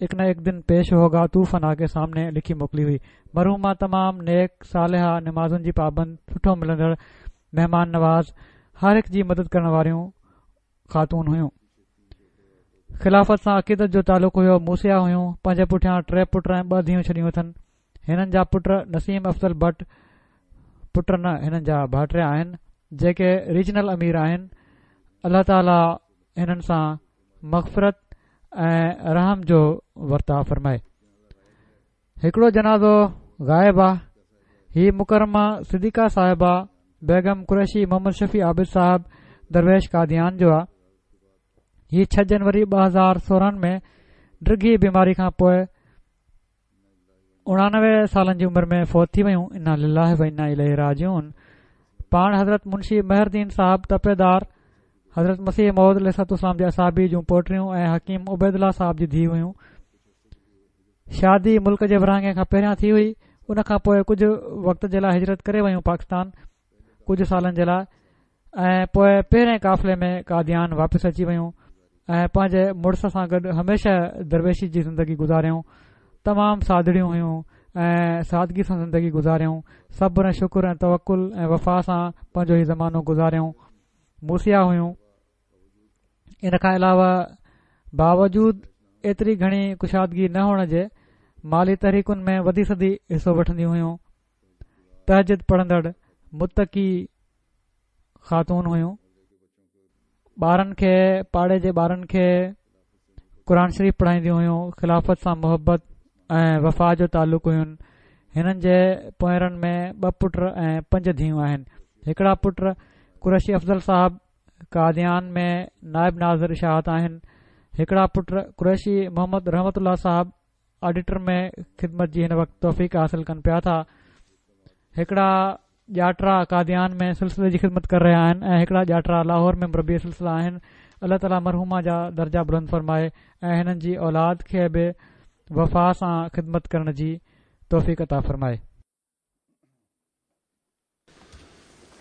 اڪ نه اڪ دن پيش هوگا تو فنا ڪي سامني لکي موڪلي هئي. مرحومه تمام نيڪ، صالحه، نمازن جي پابند، سٺو ملندڙ، مهمان نواز، هر هڪ جي مدد ڪرڻ واريون خاتون هيون. خلافت سان عقيدت جو تعلق هيو، موصيه هيون، پنهنجي پٺيان ٽي پٽ ۽ ٻه ڌيئون ڇڏيون اٿن. هنن جا پٽ نسيم افضل بٽ، پٽ نه هنن جا ڀائٽيا آهن، جيڪي ريجنل امير آهن. الله تعالي هنن سان مغفرت ۽ رحم جو ورتاء فرمائي. هڪڙو جنازو غائب آ. هي مڪرمه صديقه صاحبه بيگم قريشي محمد شفيع عابد صاحب درويش قاديان جو آ. هي ڇهه جنوري ٻه هزار سورهن ۾ ڊگهي بيماري کان پوء اڻانوي سالن جي عمر ۾ فوت ٿي ويون. انا لله و انا اليه راجعون. پاڻ حضرت منشي مهر دين صاحب تپيدار حضرت مسيح موعود عليه الصلوة والسلام جي اصحابي جون پوٽريون ۽ حڪيم عبيدالله صاحب جي ڌيء هيون. شادي ملڪ جي ورهاڱي کان پهريان ٿي هئي. ان کان پوء ڪجهه وقت جي لاء هجرت ڪري ويون پاڪستان ڪجهه سالن جي لاء ۽ پوء پهرين قافلي ۾ قاديان واپس اچي ويون ۽ پنهنجي مڙس سان گڏ هميشه درويشي جي زندگي گذاريائون. تمام سادڙيون هيون ۽ سادگي سان زندگي گذاريائون. صبر ۽ شڪر ۽ توڪل ۽ وفا سان پنهنجو هي زمانو گذاريائون. موصيه هيون. ان کان علاوه باوجود ايتري گهڻي ڪشادگي نه هئڻ جي مالي تحريڪن ۾ وڌي سڌي حصو وٺنديون هيون. تهجد پڙهندڙ متقي خاتون هيون. ٻارن کي پاڙي جي ٻارن کي قرآن شريف پڙهائينديون هيون. خلافت سان محبت ۽ وفا جو تعلق هين. هنن جي پوئرن ۾ ٻه پٽ ۽ پنج ڌيئون آهن. هڪڙا پٽ قريشي افضل صاحب قاديان ۾ نائب ناظر اشاعت آهن. هڪڙا پٽ قريشي محمد رحمت الله صاحب آڊيٽر ۾ خدمت جي هن وقت توفيق حاصل ڪن پيا ٿا. هڪڙا ڄاٽرا قاديان ۾ سلسلي جي خدمت ڪري رهيا آهن ۽ هڪڙا ڄاٽرا لاهور ۾ مربي سلسله آهن. الله تعاليٰ مرحومه جا درجا بلند فرمائي ۽ هنن جي اولاد کي به وفا سان خدمت ڪرڻ جي توفيق عطا فرمائي.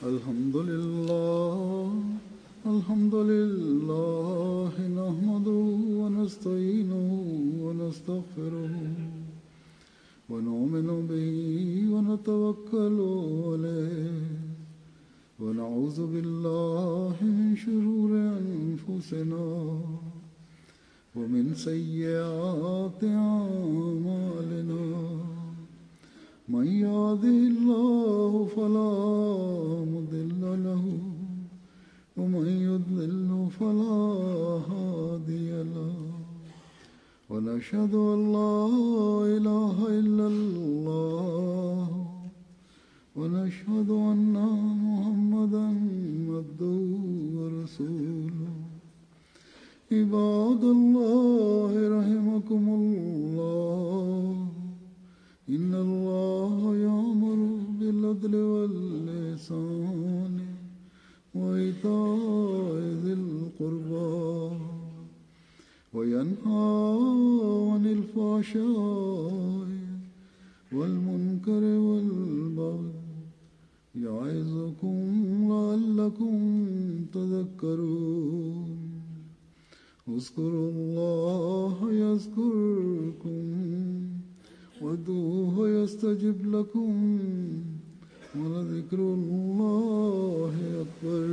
الحمد لله الحمد لله نحمده ونستعينه ونستغفره ونؤمن به ونتوكل عليه ونعوذ بالله من شرور أنفسنا ومن سيئات أعمالنا من يهده الله فلا مضل له ومن يضلل فلا هادي له ونشهد أن لا إله إلا الله ونشهد أن محمدا عبده ورسوله. عباد الله رحمكم الله إن الله يأمر بالعدل والإحسان وإيتاء ذي القربى وينهى عن الفحشاء والمنكر والبغي يعظكم لعلكم تذكرون. اذكروا الله يذكركم وادعوه يستجب لكم ولذكر الله أكبر.